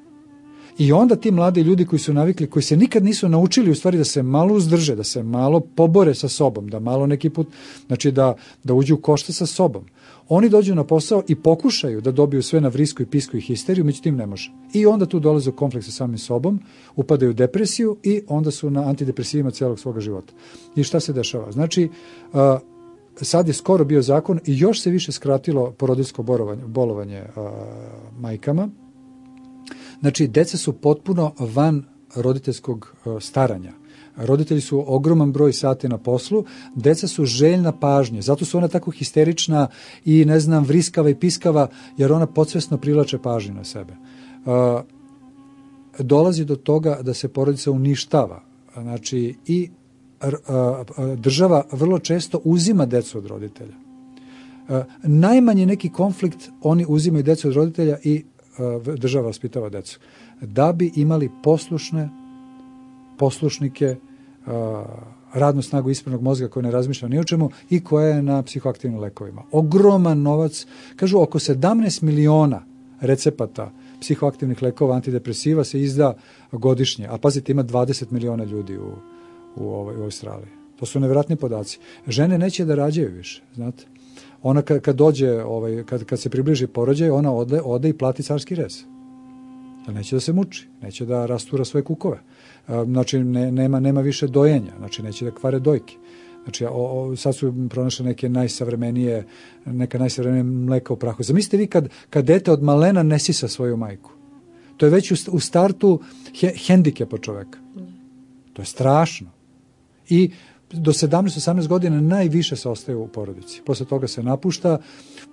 I onda ti mladi ljudi koji su navikli, koji se nikad nisu naučili u stvari da se malo uzdrže, da se malo pobore sa sobom, da malo neki put, znači da uđu u košta sa sobom. Oni dođu na posao i pokušaju da dobiju sve na vrisku i pisku i histeriju, međutim ne može. I onda tu dolaze u konflikt sa samim sobom, upadaju u depresiju i onda su na antidepresivima celog svoga života. I šta se dešava? Znači, sad je skoro bio zakon i još se više skratilo porodiljsko bolovanje majkama. Znači, deca su potpuno van roditeljskog staranja. Roditelji su ogroman broj sati na poslu, deca su željna pažnje, zato su ona tako histerična i, ne znam, vriskava i piskava, jer ona podsvesno privlače pažnju na sebe. Dolazi do toga da se porodica uništava. Znači, i država vrlo često uzima decu od roditelja. Najmanji neki konflikt, oni uzimaju decu od roditelja i država vaspitava decu. Da bi imali poslušnike, radnu snagu ispravnog mozga koja ne razmišlja ni o čemu i koja je na psihoaktivnim lekovima. Ogroman novac, kažu oko 17 miliona recepata psihoaktivnih lekova, antidepresiva se izda godišnje, a pazite, ima 20 miliona ljudi u Australiji. To su nevjerojatni podaci. Žene neće da rađaju više, znate. Ona kad dođe, kad se približi porođaj, ona ode i plati carski rez. Jer neće da se muči, neće da rastura svoje kukove. Znači, nema više dojenja, znači neće da kvare dojke. Znači, sad su pronašle neka najsavremenije mleka u prahu. Zamislite vi kad dete od malena ne sisa svoju majku. To je već u startu hendikepa čoveka. To je strašno. I do 17-18 godina najviše se ostaje u porodici. Posle toga se napušta,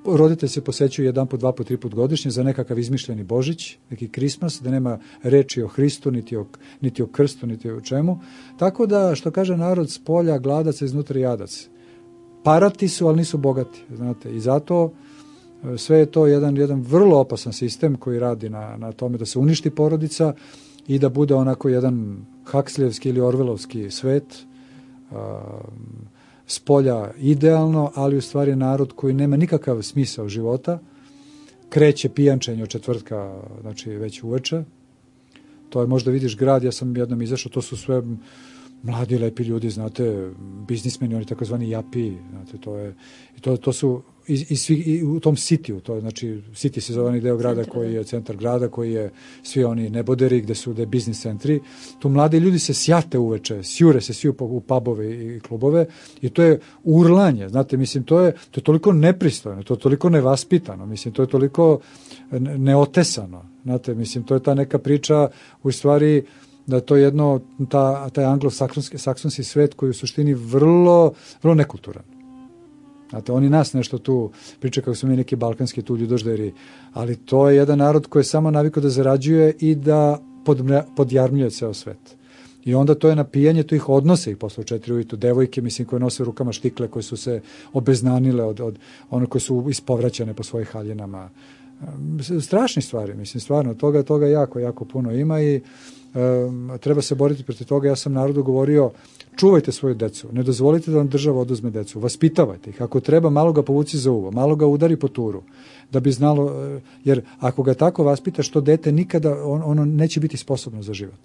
roditelj se posećuju 1 put, 2 put, 3 put godišnje za nekakav izmišljeni Božić, neki Krismas, da nema reči o Hristu, niti o krstu, niti o čemu. Tako da, što kaže narod, s polja gladac, iznutra jadac. Parati su, ali nisu bogati, znate. I zato sve je to jedan vrlo opasan sistem koji radi na tome da se uništi porodica i da bude onako jedan Huxleyevski ili Orwellovski svet, s polja idealno, ali u stvari narod koji nema nikakav smisao života, kreće pijančenje od četvrtka, znači već uveče. To je, možda vidiš grad, ja sam jednom izašao, to su sve mladi, lepi ljudi, znate, biznismeni, oni takozvani japi, znate, to su i u tom sitiju, to je, znači, City se zove onaj deo grada koji je centar grada, koji je svi oni neboderi, gde je biznis centri. Tu mladi ljudi se sjate uveče, sjure se svi u pubove i klubove i to je urlanje, znate, mislim, to je toliko nepristojno, to je toliko nevaspitano, mislim, to je toliko neotesano, znate, mislim, to je ta neka priča, u stvari, da je to jedno, taj anglo-saksonski svet koji je u suštini vrlo, vrlo nekulturan. Znate, oni nas nešto tu pričaju kako smo mi neki balkanski tu ljudožderi, ali to je jedan narod koji je samo navikao da zarađuje i da podjarmljuje ceo svet. I onda to je napijanje, to ih odnose ih posle 4 ujutru, devojke, mislim, koje nose u rukama štikle, koje su se obeznanile od one koje su ispovraćane po svojih haljinama. Strašni stvari, mislim, stvarno, toga jako, jako puno ima i treba se boriti protiv toga. Ja sam narodu govorio, čuvajte svoju decu, ne dozvolite da vam država oduzme decu, vaspitavajte ih, ako treba malo ga povuci za uvo, malo ga udari po turu, da bi znalo, jer ako ga tako vaspitaš, to dete nikada, ono neće biti sposobno za život.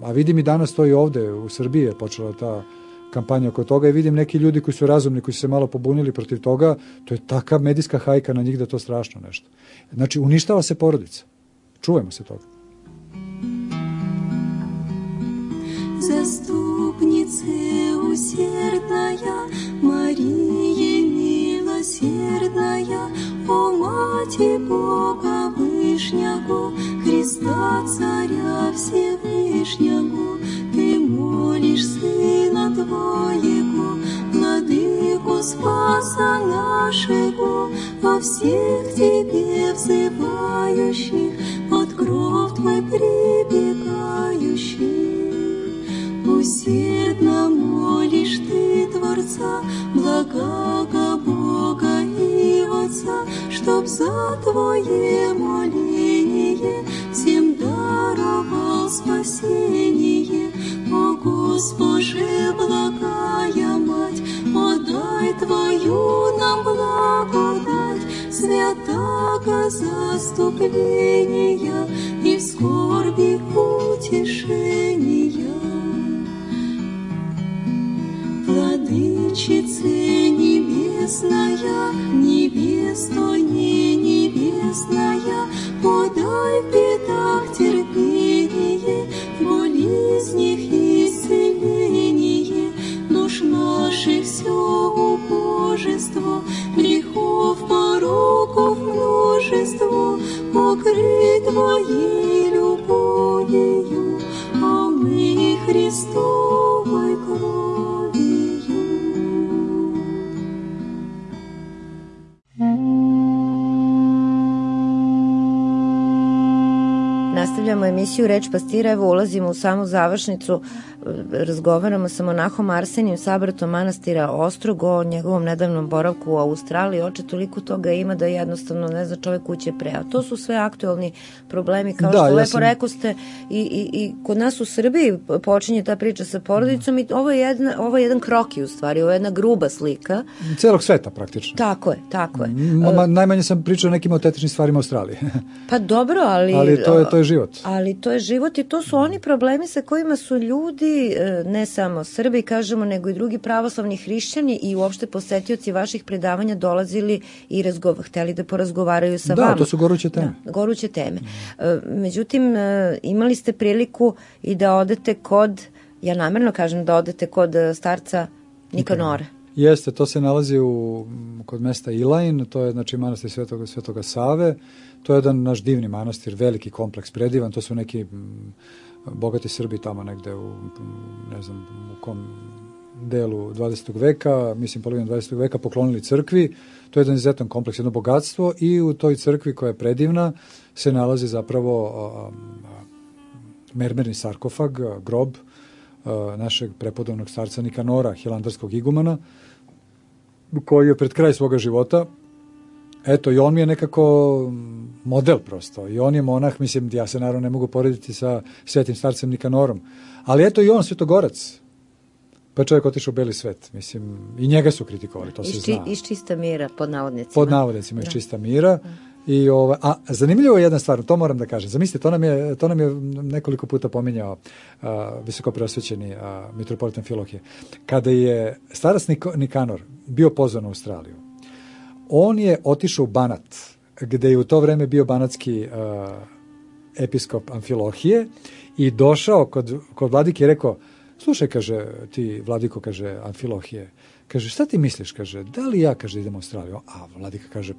A vidim i danas to i ovde, u Srbiji je počela ta kampanja oko toga i vidim neki ljudi koji su razumni, koji su se malo pobunili protiv toga, to je taka medijska hajka na njih da je to strašno nešto. Znači, uništava se porodica. Čuvajmo se toga. Заступнице усердная, Мария милосердная, о Мати Бога Вышнягу, Христа Царя Всевышнягу, Ты молишь Сына Твоего, Владыку Спаса нашего, во всех Тебе взывающих, под кров Твой прибегающих. Усердно молишь Ты Творца, благого Бога и Отца, чтоб за Твое моление всем даровал спасение. О Госпоже, благая Мать, подай Твою нам благодать, святаго заступления и в скорби утешения. Владычице небесная, невесто не небесная, подай в бедах терпение, в болезнях исцеление, душ наших все убожество, грехов пороков множество, покрыть Твоей любовью, а мы nastavljamo emisiju Reč pastira, evo ulazimo u samu završnicu, razgovaramo sa monahom Arsenijom Sabratom manastira Ostrogo o njegovom nedavnom boravku u Australiji. Oče, toliko toga ima da jednostavno ne zna čovek kuće pre, a to su sve aktuelni problemi, kao što lepo rekoste, i kod nas u Srbiji počinje ta priča sa porodicom i ovo je jedan kroki u stvari, ovo je jedna gruba slika. Celog sveta praktično. Tako je. Najmanje sam pričao o nekim autentičnim stvarima Australije. Pa dobro, ali to je život. Ali to je život i to su oni problemi sa kojima su ljudi, ne samo Srbi, kažemo, nego i drugi pravoslavni hrišćani i uopšte posetioci vaših predavanja dolazili i hteli da porazgovaraju sa vama. Da, to su goruće teme. Goruće teme. Međutim, imali ste priliku i da odete kod, ja namerno kažem da odete kod starca Nikanora. Jeste, to se nalazi kod mesta Ilajn, to je znači manastir Svetoga Save, to je jedan naš divni manastir, veliki kompleks, predivan, to su neki bogati Srbi tamo negde ne znam u kom delu 20. veka, mislim polovinu 20. veka, poklonili crkvi. To je jedan izuzetan kompleks, jedno bogatstvo, i u toj crkvi koja je predivna se nalazi zapravo mermerni sarkofag, grob našeg prepodobnog starca Nikanora, hilandarskog igumana, koji je pred kraj svoga života, eto, i on mi je nekako model prosto, i on je monah, mislim, ja se naravno ne mogu porediti sa svetim starcem Nikanorom, ali eto i on svetogorac, pa čovjek otišao u beli svet, mislim, i njega su kritikovali, to se zna. Iz čista mira, pod navodnicima. Pod navodnicima, iz čista mira. I zanimljivo je jedna stvar, to moram da kažem. Zamislite, to nam je nekoliko puta pominjao visoko preosvećeni mitropolitan Amfilohije. Kada je starac Nikanor bio pozvan u Australiju, on je otišao u Banat, gde je u to vreme bio banatski episkop Amfilohije, i došao kod vladike i rekao: slušaj, kaže, ti vladiko, kaže, Amfilohije, kaže, šta ti misliš, kaže, da li ja, kaže, idem u Australiju? A vladika kaže: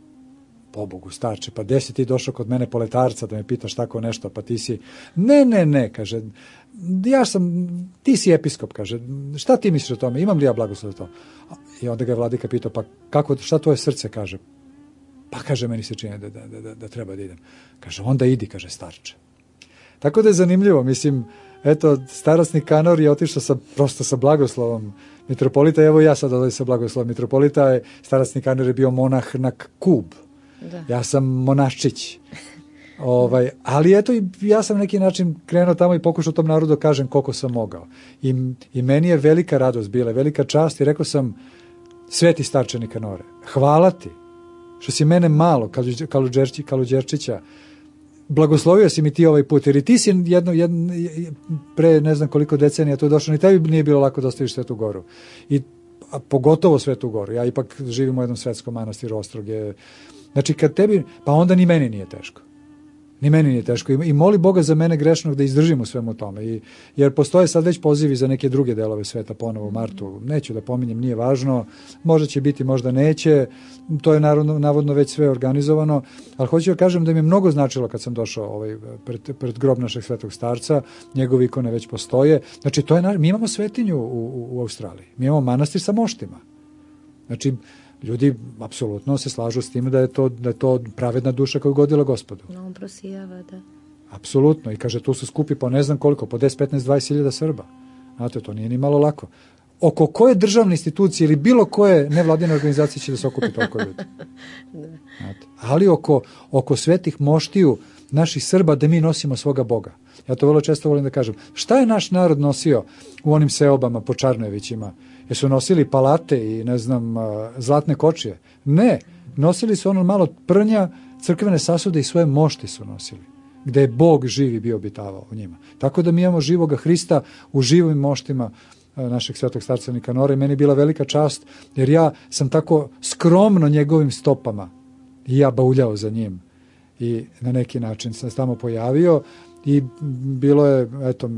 pobogu, starče, pa gde si ti došao kod mene poletarca da me pitaš tako nešto, pa ti si... Ne, kaže, ti si episkop, kaže, šta ti misliš o tome, imam li ja blagoslov za to? I onda ga je vladika pitao: pa šta tvoje srce kaže? Pa kaže, meni se čini da treba da idem. Kaže, onda idi, kaže, starče. Tako da je zanimljivo, mislim, eto, starac Nikanor je otišao prosto sa blagoslovom mitropolita, evo ja sad odlazi sa blagoslovom mitropolita, starac Nikanor je bio monah na Kub. Da. Ja sam monaščić. Ali eto, ja sam na neki način krenuo tamo i pokušao tom narodu da kažem koliko sam mogao. I meni je velika radost bila, velika čast, i rekao sam: sveti starče Nikanore, hvala ti što si mene malo, Kaluđerčića, blagoslovio si mi ti ovaj put, jer i ti si pre ne znam koliko decenija tu došao, ni tebi nije bilo lako da ostaviš Svetu Goru. A pogotovo Svetu Goru. Ja ipak živim u jednom svetskom manastiru Ostroge. Znači, kad tebi, pa onda ni meni nije teško. Ni meni nije teško. I moli Boga za mene grešnog da izdržim u svemu tome. Jer postoje sad već pozivi za neke druge delove sveta ponovo u martu. Neću da pominjem, nije važno. Možda će biti, možda neće. To je navodno već sve organizovano. Ali hoću da kažem da mi je mnogo značilo kad sam došao pred grob našeg svetog starca. Njegove ikone već postoje. Znači, mi imamo svetinju u Australiji. Mi imamo manastir sa moštima. Znači, ljudi apsolutno se slažu s tim da je to pravedna duša koju godila Gospodu. No, on prosijava, da. Apsolutno. I kaže, tu su skupi po ne znam koliko, po 10, 15, 20 hiljada Srba. Znate, to nije ni malo lako. Oko koje državne institucije ili bilo koje nevladine organizacije će da se okupi toliko ljudi? Znate, ali oko svetih moštiju naših Srba, da mi nosimo svoga Boga. Ja to vrlo često volim da kažem. Šta je naš narod nosio u onim seobama po Čarnojevićima? Jesu nosili palate i, ne znam, zlatne kočije? Ne. Nosili su ono malo prnja, crkvene sasude i svoje mošti su nosili, gde je Bog živi bio obitavao u njima. Tako da mi imamo živoga Hrista u živim moštima našeg svetog starca Nikanora, i meni je bila velika čast, jer ja sam tako skromno njegovim stopama i ja bauljao za njim. I na neki način sam se tamo pojavio i bilo je, eto,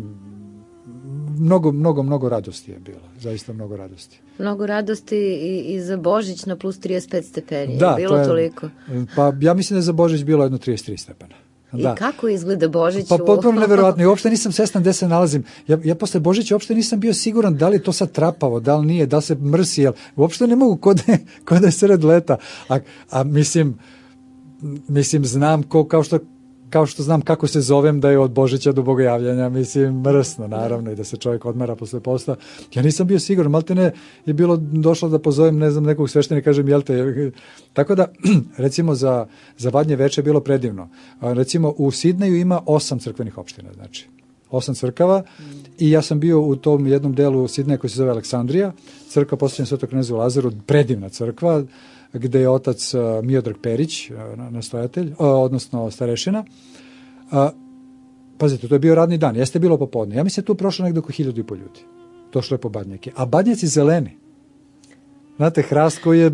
mnogo radosti je bilo. Zaista mnogo radosti. Mnogo radosti i za Božić na plus 35 stepeni. Da, bilo to je, toliko. Pa ja mislim da je za Božić bilo jedno 33 stepena. Da. I kako izgleda Božić? Pa potpuno neverovatno. I uopšte nisam svestan gde se nalazim. Ja posle Božića uopšte nisam bio siguran da li je to sad trapavo, da li nije, da li se mrsi. Uopšte ne mogu kod je sred leta. A mislim, znam kao što kao što znam kako se zovem da je od Božića do Bogojavljanja, mislim, mrsno, naravno, i da se čovjek odmara posle posta. Ja nisam bio siguran, maltene je bilo došlo da pozovem, ne znam, nekog sveštenika, kažem, jel te? Tako da, recimo, za Badnje veče je bilo predivno. Recimo, u Sidneju ima 8 crkvenih opština, znači, 8 crkava, i ja sam bio u tom jednom delu Sidneja koji se zove Aleksandrija, crkva posvećena Svetom knezu Lazaru, predivna crkva, gde je otac Miodrag Perić, nastojatelj, odnosno starešina. Pazite, to je bio radni dan, jeste bilo popodne. Ja mislim tu prošlo nekdo oko 1500 ljudi. Došlo je po badnjake. A badnjaci zeleni. Znate, hrast koji je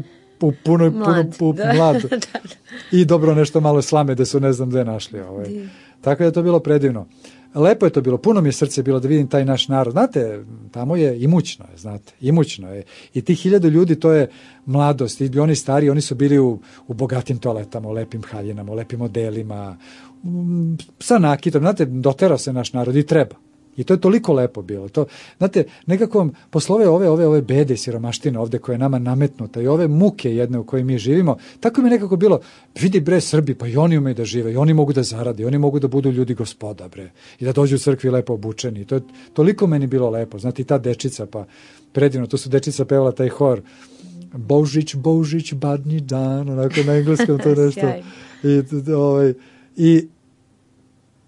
mlad. I dobro nešto malo slame da su ne znam gde našli. Tako da je to bilo predivno. Lepo je to bilo, puno mi je srce bilo da vidim taj naš narod. Znate, tamo je imućno, znate, imućno je. I tih 1000 ljudi, to je mladost. I oni stari, oni su bili u bogatim toaletama, u lepim haljinama, u lepim modelima, sa nakitom. Znate, doterao se naš narod i treba. I to je toliko lepo bilo. To, znate, nekako poslove ove bede i siromaštine ovde koje je nama nametnuta i ove muke jedne u kojoj mi živimo, tako mi nekako bilo, vidi bre Srbi, pa i oni umeju da žive, i oni mogu da zarade, oni mogu da budu ljudi gospoda bre, i da dođu u crkvi lepo obučeni. I to je toliko meni bilo lepo. Znate, i ta dečica, pa predivno, tu su dečica pevala taj hor, Božić, Božić, badnji dan, onako na engleskom to nešto.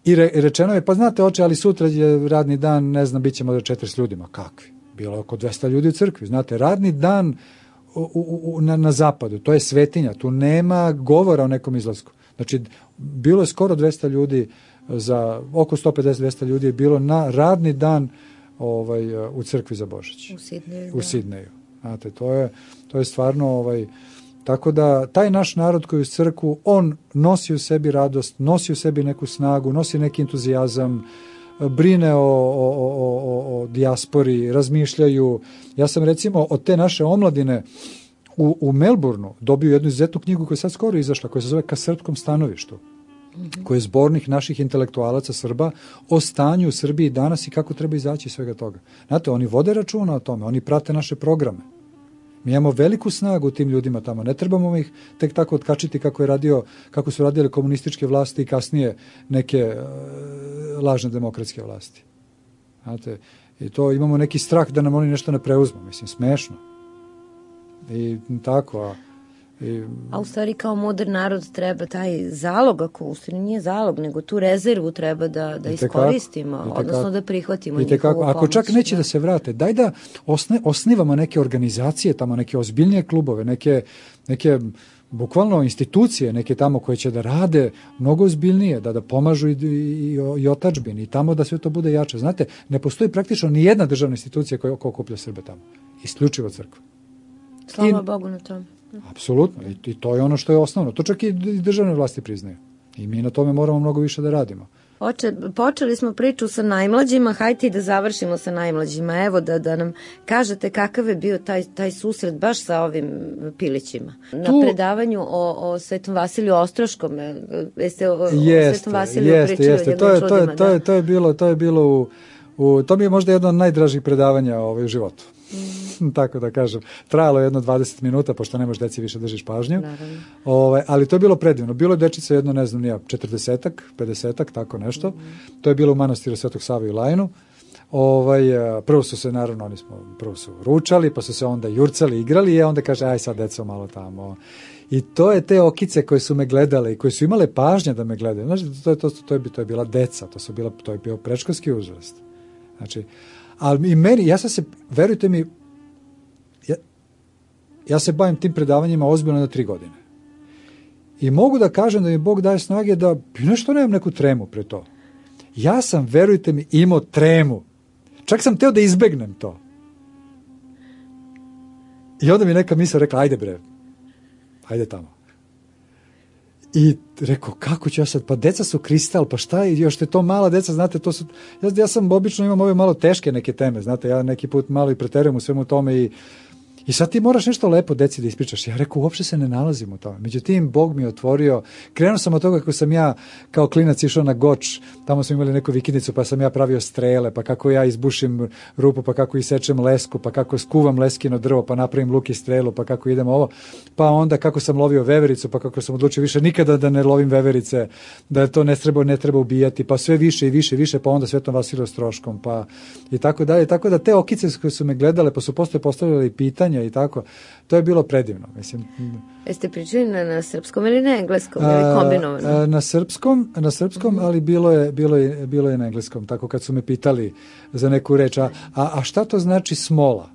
I rečeno je, pa znate oče, ali sutra je radni dan, ne znam, bit ćemo do 40 ljudima. Kakvi? Bilo je oko 200 ljudi u crkvi. Znate, radni dan na zapadu, to je svetinja, tu nema govora o nekom izlasku. Znači, bilo je skoro 200 ljudi, za oko 150-200 ljudi je bilo na radni dan u crkvi za Božić. U Sidneju. Znate, to je stvarno... Tako da taj naš narod koji je u crkvu, on nosi u sebi radost, nosi u sebi neku snagu, nosi neki entuzijazam, brine o dijaspori, razmišljaju. Ja sam recimo od te naše omladine u Melbourneu dobio jednu izuzetnu knjigu koja je sad skoro izašla, koja se zove Ka srpskom stanovištu, koji je zbornik naših intelektualaca Srba o stanju u Srbiji danas i kako treba izaći iz svega toga. Znate, oni vode računa o tome, oni prate naše programe. Mi imamo veliku snagu u tim ljudima tamo. Ne trebamo ih tek tako otkačiti kako su radile komunističke vlasti i kasnije neke lažne demokratske vlasti. Znate, i to imamo neki strah da nam oni nešto ne preuzmu. Mislim, smešno. I tako, A u stvari kao modern narod treba taj zalog, ako u stvari nije zalog, nego tu rezervu treba da iskoristimo, odnosno da prihvatimo njihovu pomoć. Ako čak neće da se vrate, daj da osnivamo neke organizacije tamo, neke ozbiljnije klubove, neke bukvalno institucije, neke tamo koje će da rade mnogo ozbiljnije, da pomažu i otadžbini, i tamo da sve to bude jače. Znate, ne postoji praktično ni jedna državna institucija koja okuplja Srbe tamo. Isključivo crkva. Slava Bogu na tom. Apsolutno, i to je ono što je osnovno. To čak i državne vlasti priznaju. I mi na tome moramo mnogo više da radimo. Oče, počeli smo priču sa najmlađima, hajde i da završimo sa najmlađima. Evo da nam kažete kakav je bio taj susret baš sa ovim pilićima. Na predavanju o Svetom Vasiliju Ostroškom. Jeste o Svetom Vasiliju pričali o jednom čudima? To je bilo to mi je možda jedno od najdražih predavanja u životu. Tako da kažem. Trajalo je jedno 20 minuta, pošto ne možeš deci više držiš pažnju. Ali to je bilo predivno. Bilo je dečica jedno, ne znam, 40-ak, 50-ak, tako nešto. To je bilo u manastiru Svetog Save i Lajnu. Prvo su se, naravno, prvo su ručali, pa su se onda jurcali, igrali, i onda kaže, aj sad deco malo tamo. I to je te okice koje su me gledale i koje su imale pažnje da me gledaju. Znači, to je bila deca, to je bio predškolski uzrast. Znači, ali i meni, ja sam se, verujte mi, ja se bavim tim predavanjima ozbiljno na 3 godine. I mogu da kažem da mi Bog daje snage da nešto nemam neku tremu pre to. Ja sam, verujte mi, imao tremu. Čak sam teo da izbegnem to. I onda mi neka misla rekla, ajde bre, ajde tamo. I rekao, kako ću ja sad, pa deca su kristal, pa šta je, još te to mala deca, znate, to su, ja sam obično imam ove malo teške neke teme, znate, ja neki put malo i preterujem u svemu tome I sad ti moraš nešto lepo deci da ispričaš. Ja rekao, uopšte se ne nalazim u tome. Međutim, Bog mi je otvorio. Krenuo sam od toga kako sam ja kao klinac išao na Goč, tamo smo imali neku vikendicu, pa sam ja pravio strele, pa kako ja izbušim rupu, pa kako isečem lesku, pa kako skuvam leskino drvo, pa napravim luk i strelu, pa kako idem ovo. Pa onda kako sam lovio vevericu, pa kako sam odlučio više nikada da ne lovim veverice, da to ne treba ubijati, pa sve više i više, pa onda Svetom Vasilu Ostroškom, pa i tako dalje. Tako da te okice koje su me gledale, pa su posle postavljali pitanja i tako, to je bilo predivno, mislim. Jeste pričali na srpskom ili na engleskom ili kombinovano? Na srpskom, ali bilo je na engleskom, tako kad su me pitali za neku reč, a šta to znači smola?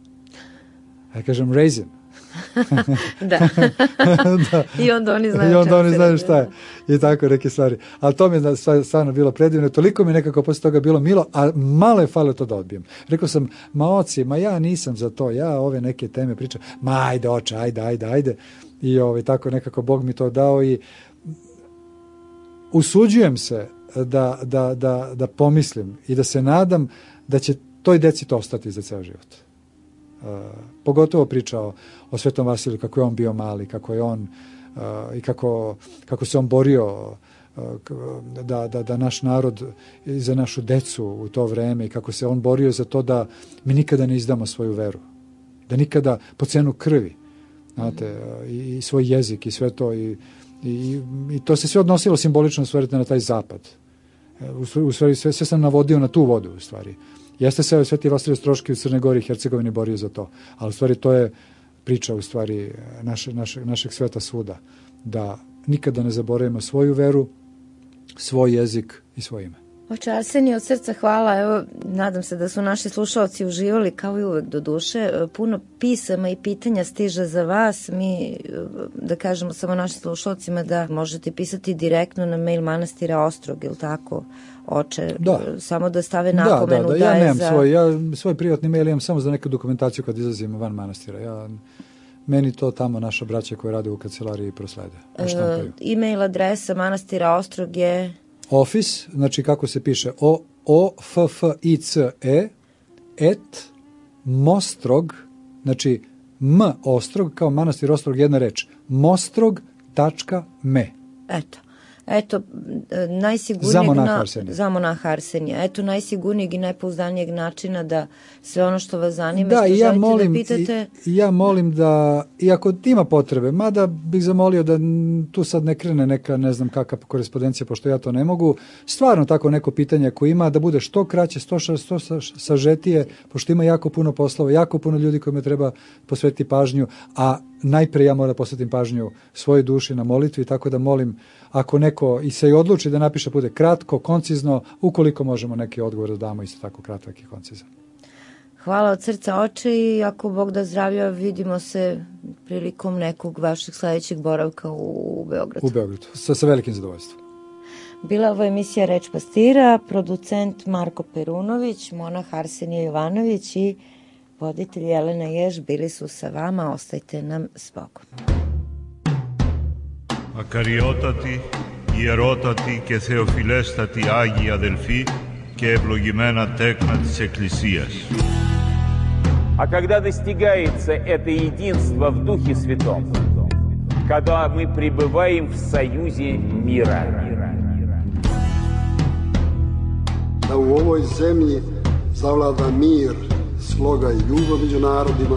Ja kažem raisin. Da. Da. I onda oni znaju šta je. I tako neke stvari. Ali to mi je stvarno bilo predivno. Toliko mi nekako posle toga bilo milo, a malo je falilo to da odbijem. Rekao sam, oci, ja nisam za to, ja ove neke teme pričam, ajde oče, ajde. I tako nekako Bog mi to dao i usuđujem se da pomislim i da se nadam da će toj deci to ostati za ceo život. Pogotovo pričao o Svetom Vasiliju, kako je on bio mali, kako je on i kako se on borio da naš narod i za našu decu u to vreme i kako se on borio za to da mi nikada ne izdamo svoju veru, da nikada po cenu krvi, znate, i svoj jezik i sve to i to se sve odnosilo simbolično na taj zapad. U stvari sve sam navodio na tu vodu u stvari. Jeste se Sveti Vasilij Ostroški u Crnoj Gori i Hercegovini borio za to, ali u stvari to je priča u stvari našeg sveta svuda, da nikada ne zaboravimo svoju veru, svoj jezik i svoje ime. Oče Arsenije, od srca hvala. Evo, nadam se da su naši slušalci uživali, kao i uvek do duše. Puno pisama i pitanja stiže za vas. Mi, da kažemo samo našim slušalcima da možete pisati direktno na mail manastira Ostrog, ili tako, oče? Da. Samo da stave napomenu da ja je nemam svoj privatni mail, imam samo za neku dokumentaciju kad izlazim van manastira. Meni to tamo naša braća koja rade u kancelariji proslede. E-mail adresa manastira Ostrog je... Office, znači kako se piše, OFFICE @mostrog, znači Ostrog, kao manastir Ostrog, jedna reč, mostrog.me. Eto, najsigurnijeg... Za monaha Arsenija. Eto, najsigurnijeg i najpouzdanijeg načina da sve ono što vas zanima, što želite da pitate... Ja molim da, iako ima potrebe, mada bih zamolio da tu sad ne krene neka, ne znam kakva korespondencija, pošto ja to ne mogu, stvarno tako neko pitanje ako ima, da bude što kraće, što sažetije, pošto ima jako puno poslova, jako puno ljudi kojima treba posvetiti pažnju, a najpre ja moram posvetim pažnju svojoj duši na molitvi, tako da molim, ako neko i se i odluči da napiše, bude kratko, koncizno, ukoliko možemo neki odgovor da damo isto tako kratak i koncizan. Hvala od srca, oče, i ako Bog da zdravlja, vidimo se prilikom nekog vašeg sledećeg boravka u Beogradu. U Beogradu, sa velikim zadovoljstvom. Bila ovo emisija Reč pastira, producent Marko Perunović, monah Arsenije Jovanović i voditelj Jelena Jež bili su sa vama, ostajte nam s Bogom. Ακαριότατοι, ιερότατοι και θεοφιλέστατοι Άγιοι αδελφοί και ευλογημένα τέκνα της Εκκλησίας. А когда достигается это единство в Духе Святом, когда мы пребываем в союзе мира. Da u ovoj zemlji zavlada mir, sloga i ljubav među narodima.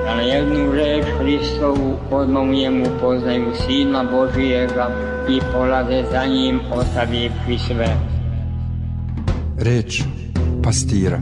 Da na jednu reč Hristovu odmah poznaju Sina Božijega i polaze za njim ostavivši sve. Reč pastira.